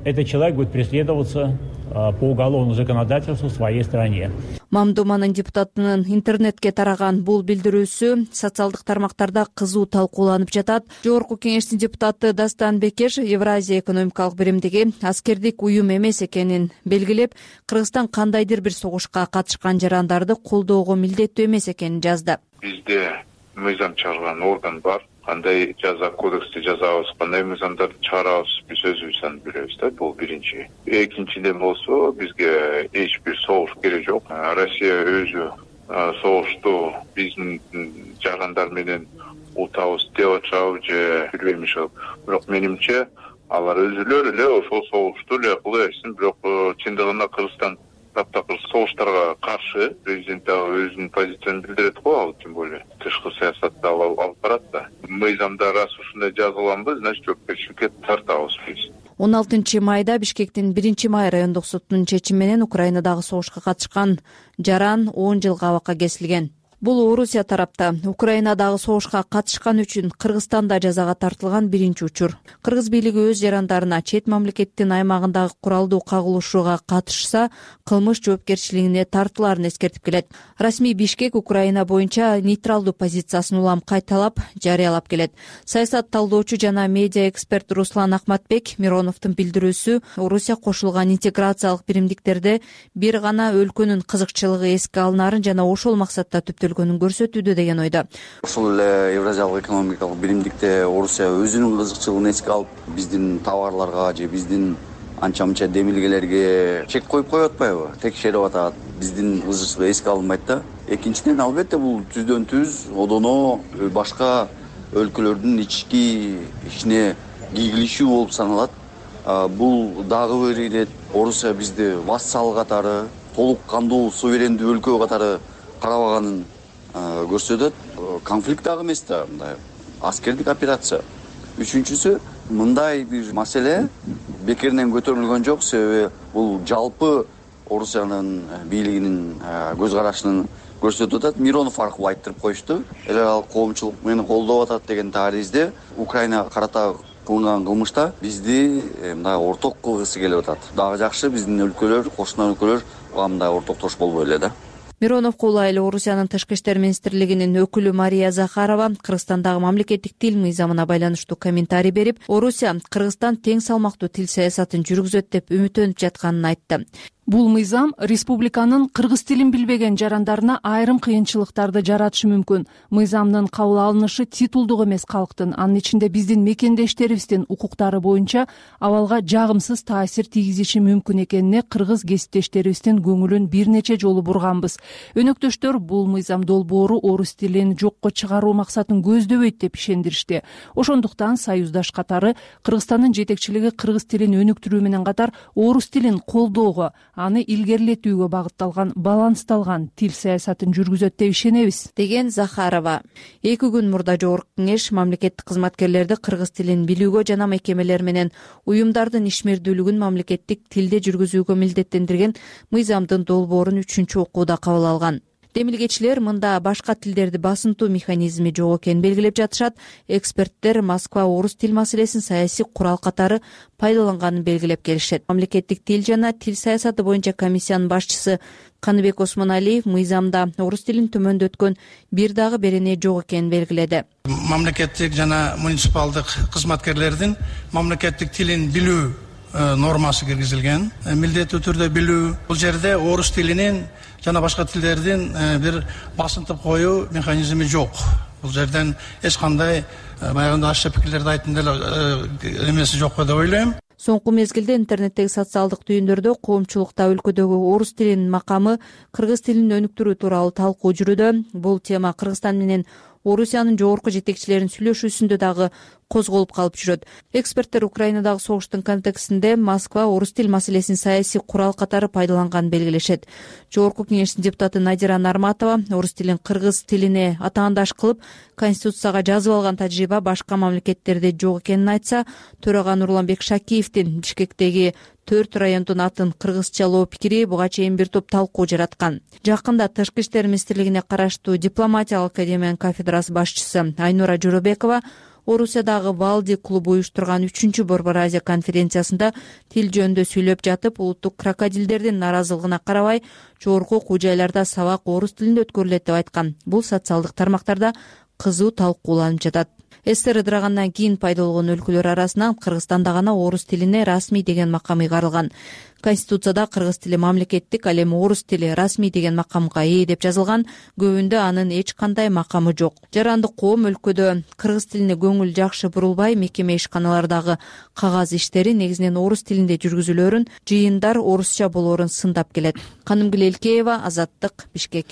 Speaker 18: этот человек будет преследоваться по уголовному законодательству в своей стране?
Speaker 6: Мамдуманын депутатынын интернетке тараган бул билдирүүсү социалдык тармактарда кызуу талкууланып жатат. Жогорку кеңештин депутаты Дастан Бекеш Евразия экономикалык биримдиги аскердик уюм эмес экенин белгилеп, Кыргызстан кандайдыр бир согушка катышкан жарандарды колдоого милдеттүү эмес экенин жазды.
Speaker 19: Бизде мыйзам чыгарган орган бар. Кандай жаза кодексти жазабыз, кандай мыйзамдарды чыгарабыз, биз өзүбүз билебиз да, бул биринчи. Экинчиден болсо, бизге эч бир согуш керек жок. Россия өзү согушту биздин жарандар менен утабыз деп атышабы же билбейм ошол. Бирок менимче алар өзүлөр эле ошол согушту эле кыла берсин. Бирок чындыгында Кыргызстан таптакыр согуштарга каршы президент дагы өзүнүн позициясын билдирет го, ал тем более тышкы саясатты алып барат да. Мыйзамда раз ушундай жазылганбы, значит жоопкерчиликке тартабыз биз.
Speaker 6: он алтынчы майда Бишкектин биринчи май райондук сотунун чечими менен Украинадагы согушка катышкан жаран он жылга абакка кесилген. Бул Орусия тарапта Украинадагы согушка катышкан үчүн Кыргызстанда жазага тартылган биринчи учур. Кыргыз бийлиги өз жарандарына чет мамлекеттин аймагындагы куралдуу кагылышууга катышса, кылмыш жоопкерчилигине тартылаарын эскертип келет. Расмий Бишкек Украина боюнча нейтралдуу позициясын улам кайталап, жарыялап келет. Саясат талдоочу жана медиа эксперт Руслан Акматбек Мироновдун билдирүүсү Орусия кошулган интеграциялык биримдиктерде бир гана өлкөнүн кызыкчылыгы эске алынаарын жана ошол максатта түптөлгөнүн көрсөтүүдө деген ойдо.
Speaker 20: Ошол эле Евразиялык экономикалык биримдикте Орусия өзүнүн кызыкчылыгын эске алып, биздин товарларга же биздин анча-мынча демилгелерге чек коюп коюп атпайбы? Текшерип атат, биздин кызыкчылык эске алынбайт да. Экинчиден, албетте бул түздөн түз одоно башка өлкөлөрдүн ички ишине кийгилишүү болуп саналат. Бул дагы бир ирет Орусия бизди вассал катары, толук кандуу суверендүү өлкө катары карабаганын көрсөтөт. Конфликт дагы эмес да, мындай аскердик операция. Үчүнчүсү, мындай бир маселе бекеринен көтөрүлгөн жок, себеби бул жалпы Орусиянын бийлигинин көз карашынын көрсөтүп атат. Миронов аркылуу айттырып коюшту. Эле ал коомчулук мени колдоп атат деген таризде Украина карата кылынган кылмышта бизди мындай орток кылгысы келип атат. Дагы жакшы биздин өлкөлөр, кошуна өлкөлөр буга мындай ортоктош болбой эле да.
Speaker 6: Мироновго улай эле Орусиянын Тышкы иштер министрлигинин өкүлү Мария Захарова Кыргызстандагы мамлекеттик тил мыйзамына байланыштуу комментарий берип, Орусия Кыргызстан тең салмактуу тил саясатын жүргүзөт деп үмүттөнүп жатканын айтты.
Speaker 2: Бул мыйзам республиканын кыргыз тилин билбеген жарандарына айрым кыйынчылыктарды жаратышы мүмкүн. Мыйзамдын кабыл алынышы титулдук эмес калктын, анын ичинде биздин мекендештерибиздин укуктары боюнча абалга жагымсыз таасир тийгизиши мүмкүн экенине кыргыз кесиптештерибиздин көңүлүн бир нече жолу бурганбыз. Өнөктөштөр бул мыйзам долбоору орус тилин жокко чыгаруу максатын көздөбөйт деп ишендиришти. Ошондуктан союздаш катары Кыргызстандын жетекчилиги кыргыз тилин өнүктүрүү менен катар орус тилин колдоого, аны илгерилетүүгө багытталган балансталган тил саясатын жүргүзөт деп ишенебиз, деген Захарова. Эки күн мурда Жогорку Кеңеш мамлекеттик кызматкерлерди кыргыз тилин билүүгө жана мекемелер менен уюмдардын ишмердүүлүгүн мамлекеттик тилде жүргүзүүгө милдеттендирген мыйзамдын долбоорун үчүнчү окууда кабыл алган. Демилгечилер мында башка тилдерди басынтуу механизми жок экенин белгилеп жатышат. Эксперттер Москва орус тил маселесин саясий курал катары пайдаланганын белгилеп келишет. Мамлекеттик тил жана тил саясаты боюнча комиссиянын башчысы Каныбек Осмоналиев мыйзамда орус тилин төмөндөткөн бир дагы берене жок экенин белгиледи.
Speaker 21: Мамлекеттик жана муниципалдык кызматкерлердин мамлекеттик тилин билүү нормасы киргизилген. Милдеттүү түрдө билүү. Бул жерде орус тилинин жана башка тилдердин бир басынтып коюу механизми жок. Бул жерден эч кандай баягы ашча пикирлерди айттым деле эмеси жок деп ойлойм.
Speaker 15: Соңку мезгилде интернеттеги социалдык түйүндөрдө коомчулукта өлкөдөгү орус тилинин макамы, кыргыз тилин өнүктүрүү тууралуу талкуу жүрүүдө. Бул тема Кыргызстан менен Орусиянын жогорку жетекчилеринин сүйлөшүүсүндө дагы козголуп калып жүрөт. Эксперттер Украинадагы согуштун контекстинде Москва орус тил маселесин саясий курал катары пайдаланганын белгилешет. Жогорку Кеңештин депутаты Надира Нарматова орус тилин кыргыз тилине атаандаш кылып, конституцияга жазып алган тажрыйба башка мамлекеттерде жок экенин айтса, төрага Нурланбек Шакиевдин Бишкектеги төрт райондун атын кыргызчалоо пикири буга чейин бир топ талкуу жараткан. Жакында Тышкы иштер министрлигине караштуу дипломатиялык академиянын кафедрасы башчысы Айнура Жоробекова Орусиядагы Валди клубу уюштурган үчүнчү Борбор Азия конференциясында тил жөнүндө сүйлөп жатып, улуттук крокодилдердин наразылыгына карабай, жогорку окуу жайларда сабак орус тилинде өткөрүлөт деп айткан. Бул социалдык тармактарда кызуу талкууланып жатат. СССР ыдырагандан кийин пайда болгон өлкөлөр арасынан Кыргызстанда гана орус тилине расмий деген макам ыйгарылган. Конституцияда кыргыз тили мамлекеттик, ал эми орус тили расмий деген макамга ээ деп жазылган. Көбүндө анын эч кандай макамы жок. Жарандык коом өлкөдө кыргыз тилине көңүл жакшы бурулбай, мекеме ишканалардагы кагаз иштери негизинен орус тилинде жүргүзүлөрүн, жыйындар орусча болоорун сындап келет. Канымгүл Элкеева, Азаттык, Бишкек.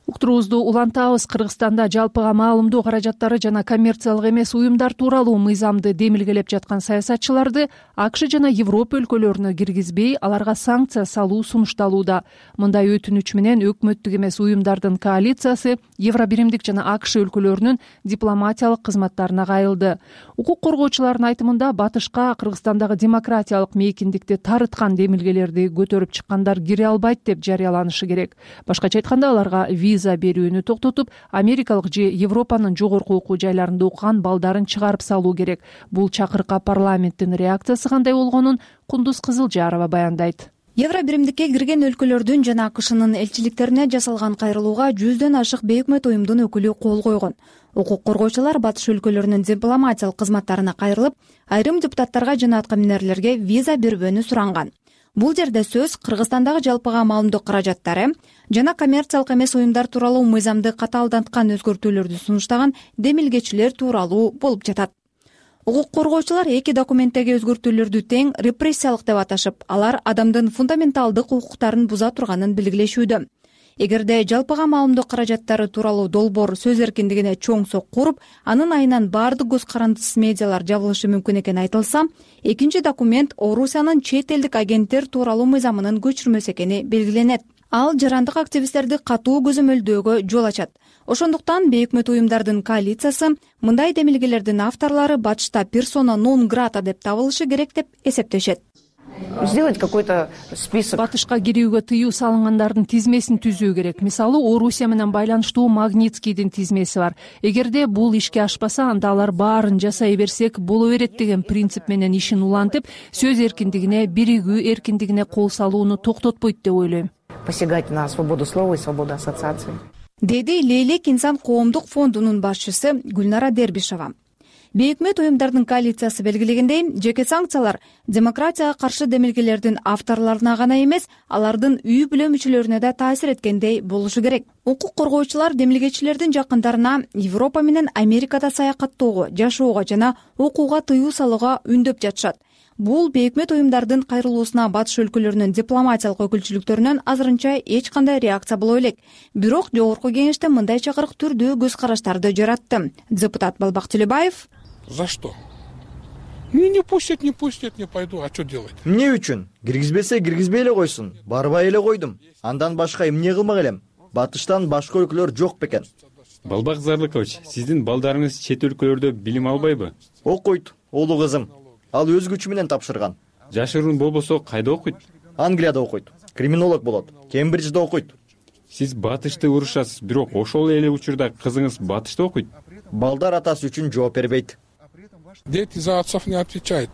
Speaker 2: Уктуруубузду улантабыз. Кыргызстанда жалпыга маалымдоо каражаттары жана коммерциялык эмес уюмдар тууралуу мыйзамды демилгелеп жаткан саясатчыларды АКШ жана Европа өлкөлөрүнө киргизбей, аларга санкция салуу сунушталууда. Мындай өтүнүч менен өкмөттүк эмес уюмдардын коалициясы Евробиримдик жана АКШ өлкөлөрүнүн дипломатиялык кызматтарына кайрылды. Укук коргоочулардын айтымында батышка Кыргызстандагы демократиялык мейкиндикти тарыткан демилгелерди көтөрүп чыккандар кире албайт деп жарыяланышы керек. Башкача айтканда, аларга виза берүүнү токтотуп, Америкалык же Европанын жогорку окуу жайларында окуган балдарын чыгарып салуу керек. Бул чакырыкка парламенттин реакциясы кандай болгонун Кундуз Кызылжарова баяндайт.
Speaker 22: Евробиримдикке кирген өлкөлөрдүн жана АКШнын элчиликтерине жасалган кайрылууга жүздөн ашык бейөкмөт уюмдун өкүлү кол койгон. Укук коргоочулар батыш өлкөлөрүнүн дипломатиялык кызматтарына кайрылып, айрым депутаттарга жана аткаминерлерге виза бербөөнү суранган. Бул жерде сөз Кыргызстандагы жалпыга маалымдоо каражаттары жана коммерциялык эмес уюмдар тууралуу мыйзамды катаалданткан өзгөртүүлөрдү сунуштаган демилгечилер тууралуу болуп жатат. Укук коргоочулар эки документтеги өзгөртүүлөрдү тең репрессиялык деп аташып, алар адамдын фундаменталдык укуктарын буза турганын белгилешүүдө. Эгерде жалпыга маалымдоо каражаттары тууралуу долбоор сөз эркиндигине чоң сокку уруп, анын айынан баардык көз карандысыз медиалар жабылышы мүмкүн экени айтылса, экинчи документ Орусиянын чет элдик агенттер тууралуу мыйзамынын көчүрмөсү экени белгиленет. Ал жарандык активисттерди катуу көзөмөлдөөгө жол ачат. Ошондуктан бейөкмөт уюмдардын коалициясы мындай демилгелердин авторлору батышта персона нон грата деп табылышы керек деп эсептешет.
Speaker 23: Сделать какой-то список.
Speaker 2: Батышка кирүүгө тыюу салынгандардын тизмесин түзүү керек. Мисалы, Орусия менен байланыштуу Магнитскийдин тизмеси бар. Эгерде бул ишке ашпаса, анда алар баарын жасай берсек боло берет деген принцип менен ишин улантып, сөз эркиндигине, биригүү эркиндигине кол салууну токтотпойт деп ойлойм.
Speaker 23: Посягать на свободу слова и свободу ассоциации.
Speaker 22: Деди Лейлек инсан коомдук фондунун башчысы Гүлнара Дербишова. бейөкмөт уюмдардын коалициясы белгилегендей, жеке санкциялар демократияга каршы демилгелердин авторлоруна гана эмес, алардын үй бүлө мүчөлөрүнө да таасир эткендей болушу керек. Укук коргоочулар демилгечилердин жакындарына Европа менен Америкада саякаттоого, жашоого жана окууга тыюу салууга үндөп жатышат. Бул бейөкмөт уюмдардын кайрылуусуна батыш өлкөлөрүнүн дипломатиялык өкүлчүлүктөрүнөн азырынча эч кандай реакция боло элек. Бирок жогорку кеңеште мындай чакырык түрдүү көз караштарды жаратты. Депутат Балбак Төлөбаев:
Speaker 5: За что? Ну не пустят, не пустят, не пойду. А что делать?
Speaker 7: Эмне үчүн? Киргизбесе киргизбей эле койсун. Барбай эле койдум. Андан башка эмне кылмак элем? Батыштан башка өлкөлөр жок бекен.
Speaker 11: Балбак Зарлыкович, сиздин балдарыңыз чет өлкөлөрдө билим албайбы?
Speaker 7: Окуйт, улуу кызым. Ал өз күчү менен тапшырган.
Speaker 11: Жашыруун болбосо кайда окуйт?
Speaker 7: Англияда окуйт. Криминолог болот. Кембриджде окуйт.
Speaker 11: Сиз батышты урушасыз, бирок ошол эле учурда кызыңыз батышта окуйт.
Speaker 7: Балдар атасы үчүн жооп бербейт.
Speaker 5: Дети за отцов не отвечают.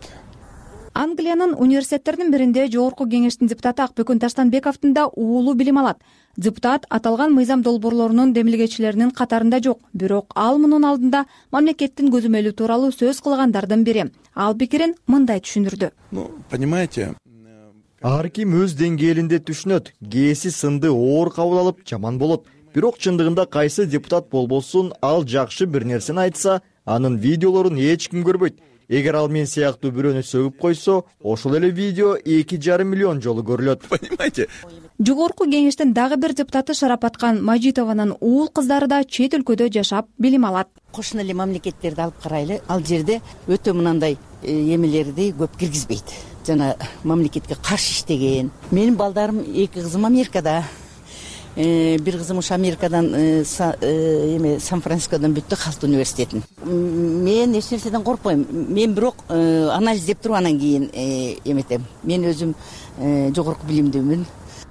Speaker 22: Англиянын университеттеринин биринде жогорку кеңештин депутаты Акбөкөн Таштанбековдун да уулу билим алат. Депутат аталган мыйзам долбоорлорунун демилгечилеринин катарында жок, бирок ал мунун алдында мамлекеттин көзөмөлү тууралуу сөз кылгандардын бири. Ал пикирин мындай түшүндүрдү.
Speaker 5: Ну, понимаете,
Speaker 7: ар ким өз деңгээлинде түшүнөт. Кээси сынды оор кабыл алып жаман болот. Бирок чындыгында кайсы депутат болбосун, ал жакшы бир нерсени айтса, анын видеолорун эч ким көрбөйт. Эгер ал мен сыяктуу бирөөнү сөгүп койсо, ошол эле видео эки жарым миллион жолу көрүлөт.
Speaker 5: Понимаете?
Speaker 22: Жогорку кеңештин дагы бир депутаты Шарапаткан Мажитованын уул кыздары да чет өлкөдө жашап билим алат.
Speaker 10: Кошуна эле мамлекеттерди алып карайлы. Ал жерде өтө мынандай эмелерди көп киргизбейт. Жана мамлекетке каршы иштеген. Менин балдарым эки кызым Америкада. Бир кызым ушу Америкадан эме Сан-Францискодон бүттү, Халт университетин. Мен эч нерседен коркпойм. Мен бирок анализдеп туруп анан кийин эметем. Мен өзүм жогорку билимдүүмүн.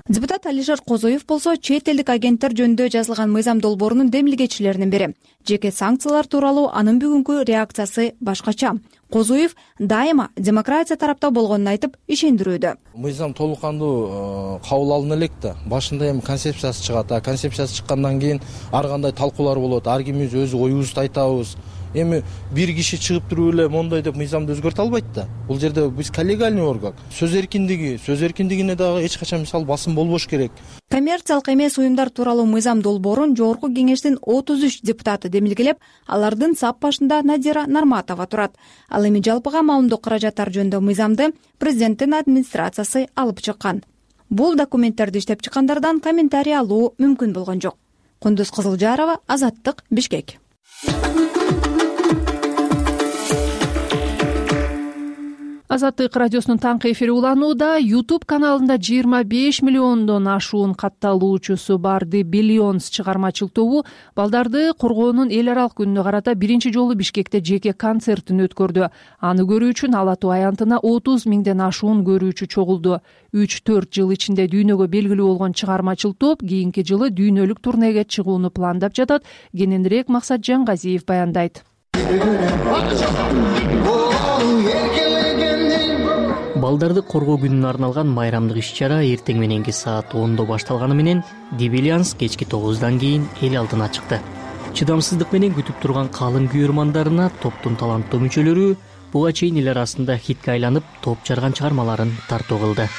Speaker 22: Депутат Алишер Козоев болсо чет элдик агенттер жөнүндө жазылган мыйзам долбоорунун демилгечилеринин бири. Жеке санкциялар тууралуу анын бүгүнкү реакциясы башкача. Козоев дайыма демократия тарапта болгонун айтып ишендирүүдө.
Speaker 24: Мыйзам толук кандуу кабыл алына элек да. Башында эми концепциясы чыгат. А концепциясы чыккандан кийин ар кандай талкуулар болот. Ар кимибиз өз оюбузду айтабыз. Эми бир киши чыгып туруп эле мондай деп мыйзамды өзгөртө албайт да. Бул жерде биз коллегиальный орган. Сөз эркиндиги, сөз эркиндигине дагы эч качан мисалы басым болбош керек.
Speaker 22: Коммерциялык эмес уюмдар тууралуу мыйзам долбоорун жогорку кеңештин отуз үч депутаты демилгелеп, алардын сап башында Надира Нарматова турат. Ал эми жалпыга маалымдоо каражаттар жөнүндө мыйзамды президенттин администрациясы алып чыккан. Бул документтерди иштеп чыккандардан комментарий алуу мүмкүн болгон жок. Кундуз Кызылжарова, Азаттык, Бишкек.
Speaker 2: Азаттык радиосунун таңкы эфири уланууда. YouTube каналында жыйырма беш миллиондон ашуун катталуучусу бар The Billions чыгармачыл тобу балдарды коргоонун эл аралык күнүнө карата биринчи жолу Бишкекте жеке концертин өткөрдү. Аны көрүү үчүн Ала Тоо аянтына отуз миңден ашуун көрүүчү чогулду. үч төрт жыл ичинде дүйнөгө белгилүү болгон чыгармачыл топ кийинки жылы дүйнөлүк турнеге чыгууну пландап жатат. Кененирээк Максат Жангазиев баяндайт.
Speaker 25: Балдарды коргоо күнүнө арналган майрамдык иш-чара эртең мененки саат ондо башталганы менен The Billions кечки тогуздан кийин эл алдына чыкты. Чыдамсыздык менен күтүп турган калың күйөрмандарына топтун таланттуу мүчөлөрү буга чейин эл арасында хитке айланып топ жарган чыгармаларын тартуу кылды.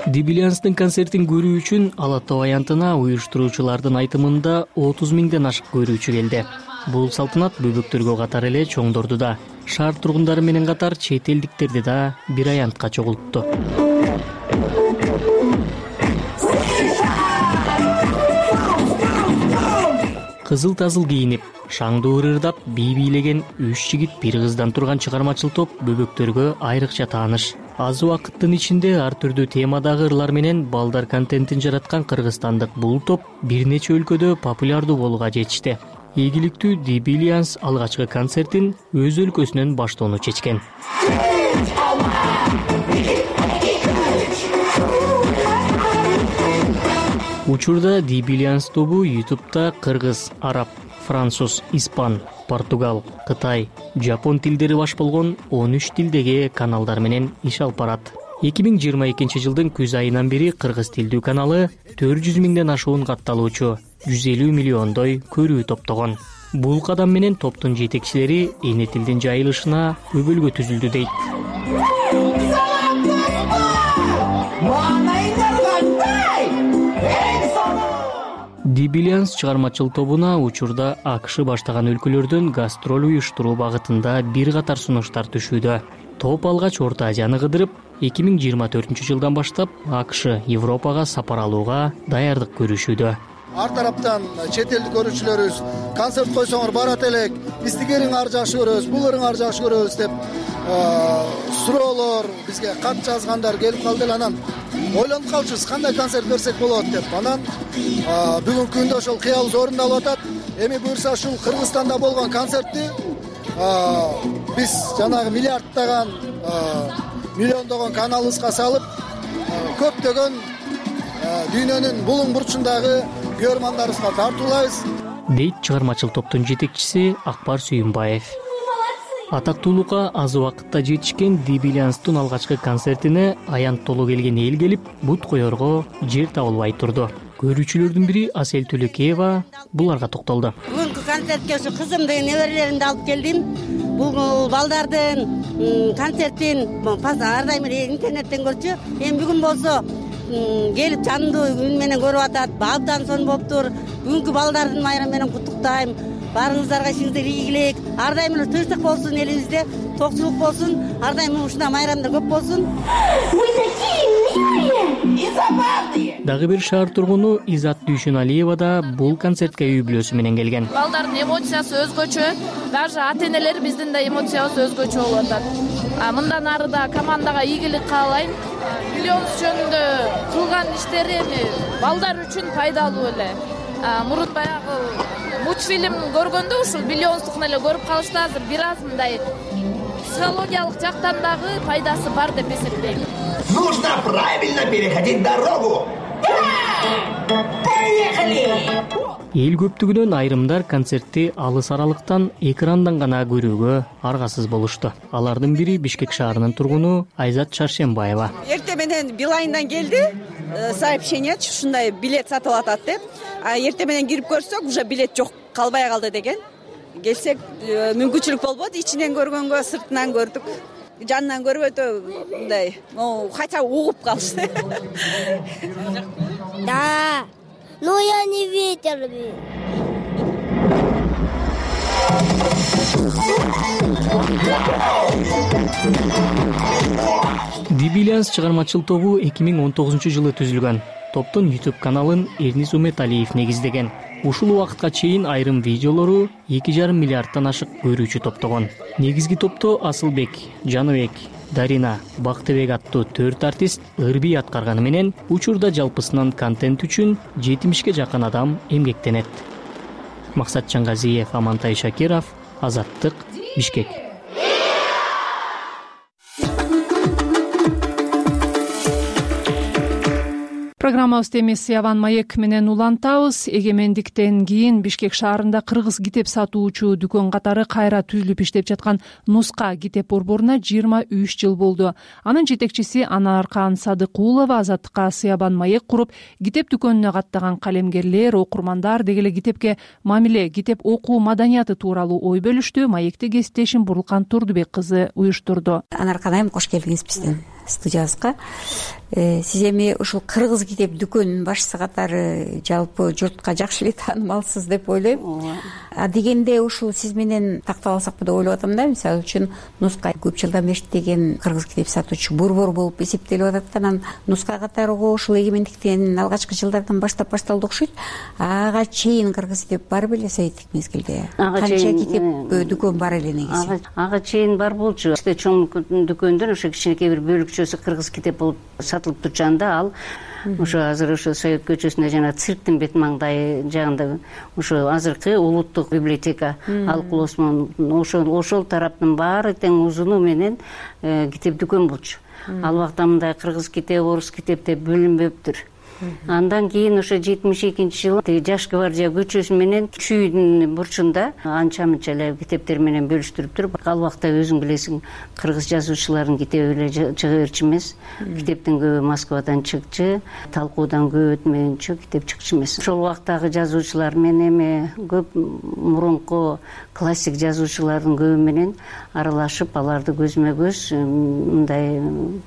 Speaker 25: The Billions'тын концертин көрүү үчүн Ала Тоо аянтына уюштуруучулардын айтымында отуз миңден ашык көрүүчү келди. Бул салтанат бөбөктөргө катар эле чоңдорду да, шаар тургундары менен катар чет элдиктерди да бир аянтка чогултту. Кызыл-тазыл кийинип, шаңдуу ырырдап, бий бийлеген үч жигит бир кыздан турган чыгармачыл топ бөбөктөргө айрыкча тааныш. Аз убакыттын ичинде ар түрдүү темадагы ырлар менен балдар контентин жараткан кыргызстандык бул топ бир нече өлкөдө популярдуу болууга жетишти. Ийгиликтүү The Billions алгачкы концертин өз өлкөсүнөн баштоону чечкен. Учурда The Billions тобу YouTube'да кыргыз, араб, француз, испан, португал, кытай, жапон тилдери баш болгон он үч тилдеги каналдар менен иш алып барат. эки миң жыйырма экинчи жылдын күз айынан бери кыргыз тилдүү каналы төрт жүз миңден ашуун катталуучу жүз элүү миллиондой көрүү топтогон. Бул кадам менен топтун жетекчилери эне тилдин жайылышына өбөлгө түзүлдү дейт. Дибилианс чыгармачыл тобуна учурда АКШ баштаган өлкөлөрдөн гастроль уюштуруу багытында бир катар сунуштар түшүүдө. Топ алгач Орто Азияны кыдырып, эки миң жыйырма төртүнчү жылдан баштап АКШ Европага сапар алууга даярдык көрүшүүдө.
Speaker 3: Ар тараптан чет элдик көрүүчүлөрүбүз концерт койсоңор барат элек, биз тигериңер жакшы көрөбүз, буларыңар жакшы көрөбүз деп суроолор, бизге кат жазгандар келип калды эле. Анан ойлонуп калчубуз, кандай концерт берсек болот деп. Анан бүгүнкү күндө ошол кыялыбыз орундалып атат. Эми буюрса ушул Кыргызстанда болгон концертти биз жанагы миллиардтаган, миллиондогон каналыбызга салып, көптөгөн дүйнөнүн булуң бурчундагы көрөрмандарыбызга тартуулайбыз,
Speaker 25: дейт чыгармачыл топтун жетекчиси Акбар Сүйүнбаев. Атактуулукка аз убакытта жетишкен Дибилианстын алгачкы концертине аянт толуу келген эл келип, бут коерго жер табылбай турду. Көрүүчүлөрдүн бири Асель Түлекеева буларга токтолду.
Speaker 8: Бүгүнкү концертке ушу кызымды, неберелеримди алып келдим. Бул балдардын концертин ар дайым интернеттен көрчү. Эми бүгүн болсо келип жандуу үн менен көрүп атат. Абдан сонун болуптур. Бүгүнкү балдардын майрамы менен куттуктайм. Баарыңыздарга ишиңиздер ийгилик. Ар дайым эле тынчтык болсун элибизде, токчулук болсун. Ар дайым ушундай майрамдар көп болсун.
Speaker 25: Дагы бир шаар тургуну Изат Дүйшүналиева да бул концертке үй бүлөсү менен келген.
Speaker 9: Балдардын эмоциясы өзгөчө, даже ата-энелер биздин да эмоциябыз өзгөчө болуп атат. Мындан ары да командага ийгилик каалайм. Миллионс жөнүндө кылган иштери эми балдар үчүн пайдалуу эле. Мурун баягы мультфильм көргөндө ушул миллионстукун эле көрүп калышты, азыр бир аз мындай психологиялык жактан дагы пайдасы бар деп эсептейм.
Speaker 12: Нужно правильно переходить дорогу. Поехали!
Speaker 25: Эл көптүгүнөн айрымдар концертти алыс аралыктан экрандан гана көрүүгө аргасыз болушту. Алардын бири Бишкек шаарынын тургуну Айзат Шаршембаева.
Speaker 13: Эртең менен Билайндан келди сообщение, ушундай билет сатылып атат деп. А эртең менен кирип көрсөк, уже билет жок, калбай калды деген. Келсек мүмкүнчүлүк болбоду, ичинен көргөнгө сыртынан көрдүк. Жанынан көрүп өтө мындай, хотя угуп калышты.
Speaker 26: Да. Но я не видел.
Speaker 25: Дибилианс чыгармачыл тобу эки миң он тогузунчу жылы түзүлгөн. Топтун YouTube каналын Эрнис Уметалиев негиздеген. Ушул убакытка чейин айрым видеолору эки жарым миллиардтан ашык көрүүчү топтогон. Негизги топто Асылбек, Жаныбек, Дарина, Бактыбек аттуу төрт артист ырбий аткарганы менен учурда жалпысынан контент үчүн жетимишке жакын адам эмгектенет. Максат Чангазиев, Амантай Шакиров, Азаттык, Бишкек.
Speaker 2: Программабызды эми Сыяван маек менен улантабыз. Эгемендиктен кийин Бишкек шаарында кыргыз китеп сатуучу дүкөн катары кайра түзүлүп иштеп жаткан Нуска китеп борборуна жыйырма үч жыл болду. Анын жетекчиси Анаркан Садыкулова Азаттыкка Сыяван маек куруп, китеп дүкөнүнө каттаган калемгерлер, окурмандар деги эле китепке мамиле, китеп окуу маданияты тууралуу ой бөлүштү. Маекти кесиптешим Бурлкан Турдубек кызы уюштурду.
Speaker 27: Анаркан айым, кош келдиңиз биздин студиябызга. Сиз эми ушул кыргыз китеп дүкөнүнүн башчысы катары жалпы журтка жакшы эле таанымалсыз деп ойлойм. А дегенде ушул сиз менен тактап алсакпы деп ойлоп атам да. Мисалы үчүн Нуска көп жылдан бери иштеген кыргыз китеп сатуучу борбор болуп эсептелип атат. Анан Нуска катары ушул эгемендиктен алгачкы жылдардан баштап башталды окшойт. Ага чейин кыргыз китеп бар беле советтик мезгилде? Канча китеп дүкөн бар эле негизи?
Speaker 28: Ага чейин бар болчу. Иште чоң дүкөндөн ошо кичинекей бир бөлүкчөсү кыргыз китеп болуп сатылып турганда, ал ошо азыр ошо Совет көчөсүндө жана цирктин бет маңдай жагында ошо азыркы улуттук библиотека алкулосмон ошол ошол тараптын баары тең узуну менен китеп дүкөн болчу. Ал убакта мындай кыргыз китеп, орус китеп деп бөлүнбөптүр. Андан кийин ошо жетимиш экинчи жылы тиги Жаш гвардия көчөсү менен чүйдүн бурчунда анча мынча эле китептер менен бөлүштүрүптүр. Ал убакта өзүң билесиң, кыргыз жазуучуларынын китеби эле чыга берчү эмес. Китептин көбү Москвадан чыкчы, талкуудан көп өтмөйүнчө китеп чыкчу эмес. Ошол убактагы жазуучулар менен эми көп мурунку классик жазуучулардын көбү менен аралашып, аларды көзмө көз мындай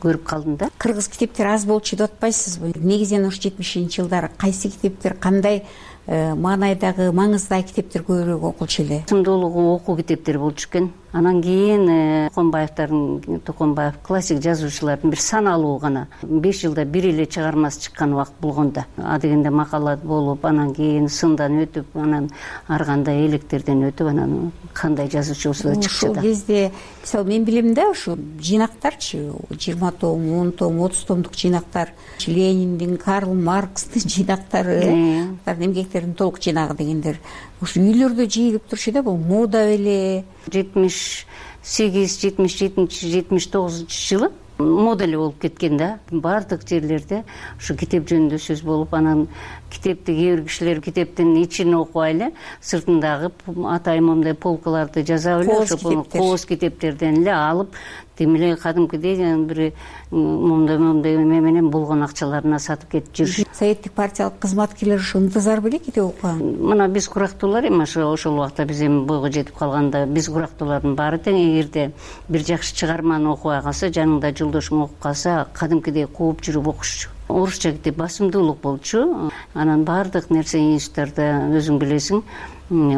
Speaker 28: көрүп калдым да.
Speaker 27: Кыргыз китептери аз болчу деп атпайсызбы? Негизинен ушу жетимишинчи жылдары кайсы китептер, кандай маанайдагы маңыздагы китептер көбүрөөк окулчу эле?
Speaker 28: Сымдуулугу окуу китептери болчу экен. Анан кийин Токонбаевдардын Токонбаев классик жазуучулардын бир саналуу гана беш жылда бир эле чыгармасы чыккан убакыт болгондо, а дегенде макалат болуп, анан кийин сындан өтүп, анан ар кандай электерден өтүп, анан кандай жазуучу болсо да чыкчу да.
Speaker 27: Ошол кезде мисалы мен билимде ушу жыйнактарчы жыйырма том, он том, отуз томдук жыйнактар, Лениндин, Карл Маркстын жыйнактары, эмгектердин толук жыйнагы дегендер ушу үйлөрдө жыйылып турчу да. Бул мода беле?
Speaker 28: жетимиш сегиз, жетимиш жетинчи, жетимиш тогузунчу жылы мода эле болуп кеткен да. Баардык жерлерде ушу китеп жөнүндө сөз болуп, анан китепти кээ бир кишилер китептин ичин окубай эле сыртындагы атайын момундай полкаларды жасап эле ошо кооз китептерден эле алып, тим эле кадимкидей бир момундай момундай эме менен болгон акчаларына сатып кетип жүрүш.
Speaker 27: Советтик партиялык кызматкерлер ушу ынтызар беле китеп окуган?
Speaker 28: Мына биз курактуулар эми ошо ошол убакта биз эми бойго жетип калганда биз курактуулардын баары тең. Эгерде бир жакшы чыгарманы окубай калса, жаныңда жолдошуң окуп калса, кадимкидей кууп жүрүп окушчу. Орусча китеп басымдуулук болчу. Анан баардык нерсе институттарда өзүң билесиң,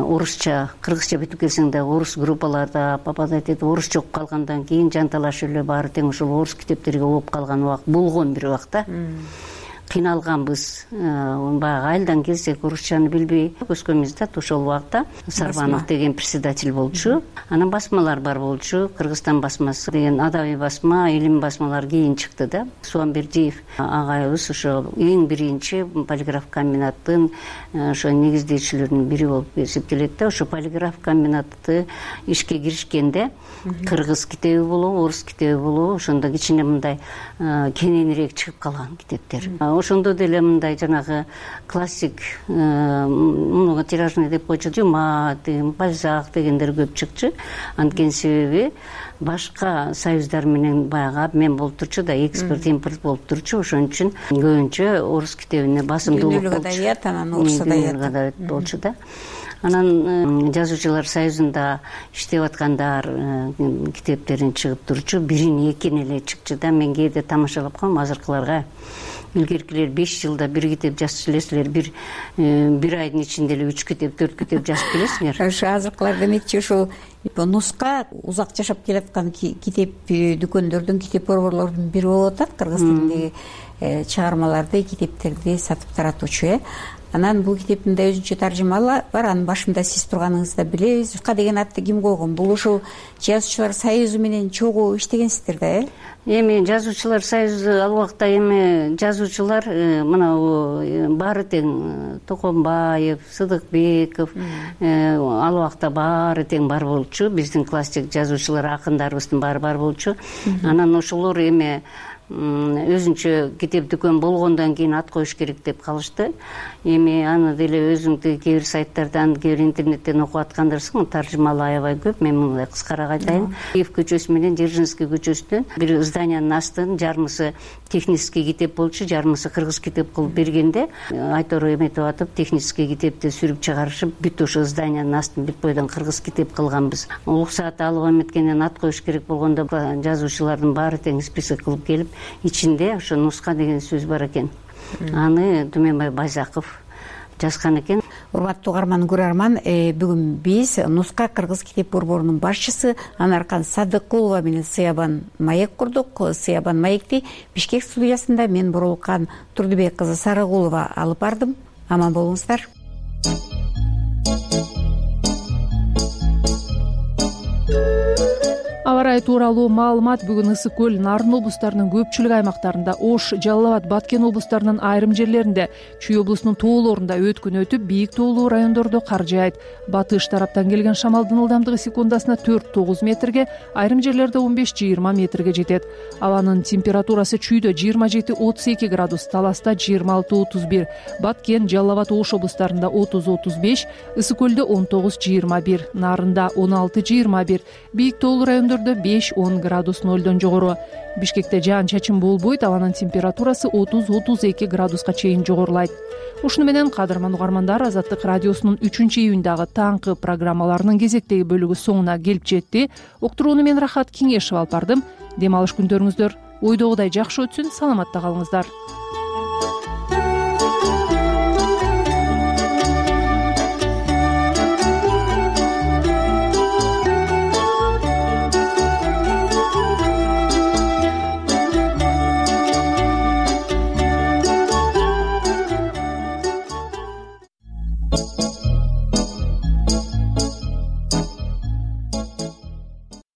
Speaker 28: орусча, кыргызча бүтүп келсең да орус группаларда попадать этип орусча окуп калгандан кийин жанталашып эле баары тең ошол орус китептерге окуп калган убакыт болгон бир убакта. Кыйналганбыз. Баягы айылдан келсек орусчаны билбей өскөнбүз да. Ошол убакта Сарбанов деген председатель болчу. Анан басмалар бар болчу. Кыргызстан басмасы деген адабий басма, илим басмалар кийин чыкты да. Суамбердиев агайыбыз ошо эң биринчи полиграф комбинаттын ошо негиздөөчүлөрүнүн бири болуп эсептелет да. Ошо полиграф комбинатты ишке киришкенде кыргыз китеби болобу, орус китеби болобу, ошондо кичине мындай кененирээк чыгып калган китептер. Ошондо деле мындай жанагы классик муну тиражный деп койчу, Дюма, Бальзак дегендер көп чыкчу. Анткени себеби башка союздар менен баягы обмен болуп турчу да, экспорт импорт болуп турчу. Ошон үчүн көбүнчө орус китебине басымдуулук болчу.
Speaker 27: Адаbiat, анан орус
Speaker 28: адаbiat болчу да. Анан жазуучулар союзунда иштеп аткандар китептерин чыгып турчу. Бирин экин эле чыкчу да. Мен кээде тамашалап коем азыркыларга. Илгеркилер беш жылда бир китеп жазып келесилер, бир бир айдын ичинде эле үч китеп, төрт китеп жазып келесиңер.
Speaker 27: Ошо азыркылар демекчи ушул нуска узак жашап келаткан китеп дүкөндөрдүн, китеп борборлордун бири болуп атат. Кыргыз тилиндеги чыгармаларды, китептерди сатып таратуучу э. Анан бул китептин да өзүнчө таржымалы бар. Анын башында сиз турганыңызды билебиз. Ка деген атты ким койгон? Бул ушул жазуучулар союзу менен чогуу иштегенсиздер да э?
Speaker 28: Эми жазуучулар союзу ал убакта эми жазуучулар мына баары тең Токонбаев, Сыдыкбеков ал убакта баары тең бар болчу. Биздин классик жазуучулар, акындарыбыздын баары бар болчу. Анан ошолор эми өзүнчө китеп дүкөн болгондон кийин ат коюш керек деп калышты. Эми аны деле өзүңдү кээ бир сайттардан, кээ бир интернеттен окуп аткандарсың, таржымалы аябай көп. Мен мындай кыскараак айтайын. Киев көчөсү менен Дзержинский көчөсүнөн бир зданиянын астын жармысы технический китеп болчу, жармысы кыргыз китеп кылып бергенде айтор эметип атып, технический китепти сүрүп чыгарышып, бүт ошо зданиянын астын бүт бойдон кыргыз китеп кылганбыз. Уруксаат алып эметкенден ат коюш керек болгондо жазуучулардын баары тең список кылып келип, ичинде ошо нуска деген сөз бар экен. Аны Түменбай Байзаков жазган экен.
Speaker 27: Урматтуу угарман, көрөрман, бүгүн биз Нуска кыргыз китеп борборунун башчысы Анаркан Садыкулова менен Сыябан маек курдук. Сыябан маекти Бишкек студиясында мен Боролкан Турдубек кызы Сарыгулова алып бардым. Аман болуңуздар.
Speaker 2: Аба ырайы тууралуу маалымат бүгүн ысык көл, Нарын облустарынын көпчүлүк аймактарында, Ош, Жалал Абад, Баткен облустарынын айрым жерлеринде, Чүй облусунун тоолорунда өткүн өтүп, бийик тоолуу райондордо кар жаайт. Батыш тараптан келген шамалдын ылдамдыгы секундасына төрт тогуз метрге, айрым жерлерде он беш жыйырма метрге жетет. Абанын температурасы Чүйдө жыйырма жети отуз эки градус, Таласта жыйырма алты отуз бир, Баткен, Жалал Абад, Ош облустарында отуз отуз беш, ысык көлдө он тогуз жыйырма бир, Нарында он алты жыйырма бир, бийик тоолуу райондордо беш он градус нолдон жогору. Бишкекте жаан чачын болбойт, абанын температурасы отуз отуз эки градуска чейин жогорулайт. Ушуну менен кадырман угармандар, Азаттык радиосунун үчүнчү июндагы таңкы программаларынын кезектеги бөлүгү соңуна келип жетти. Уктурууну мен Рахат Кеңешева алып бардым. Дем алыш күндөрүңүздөр ойдогудай жакшы өтсүн, саламатта калыңыздар.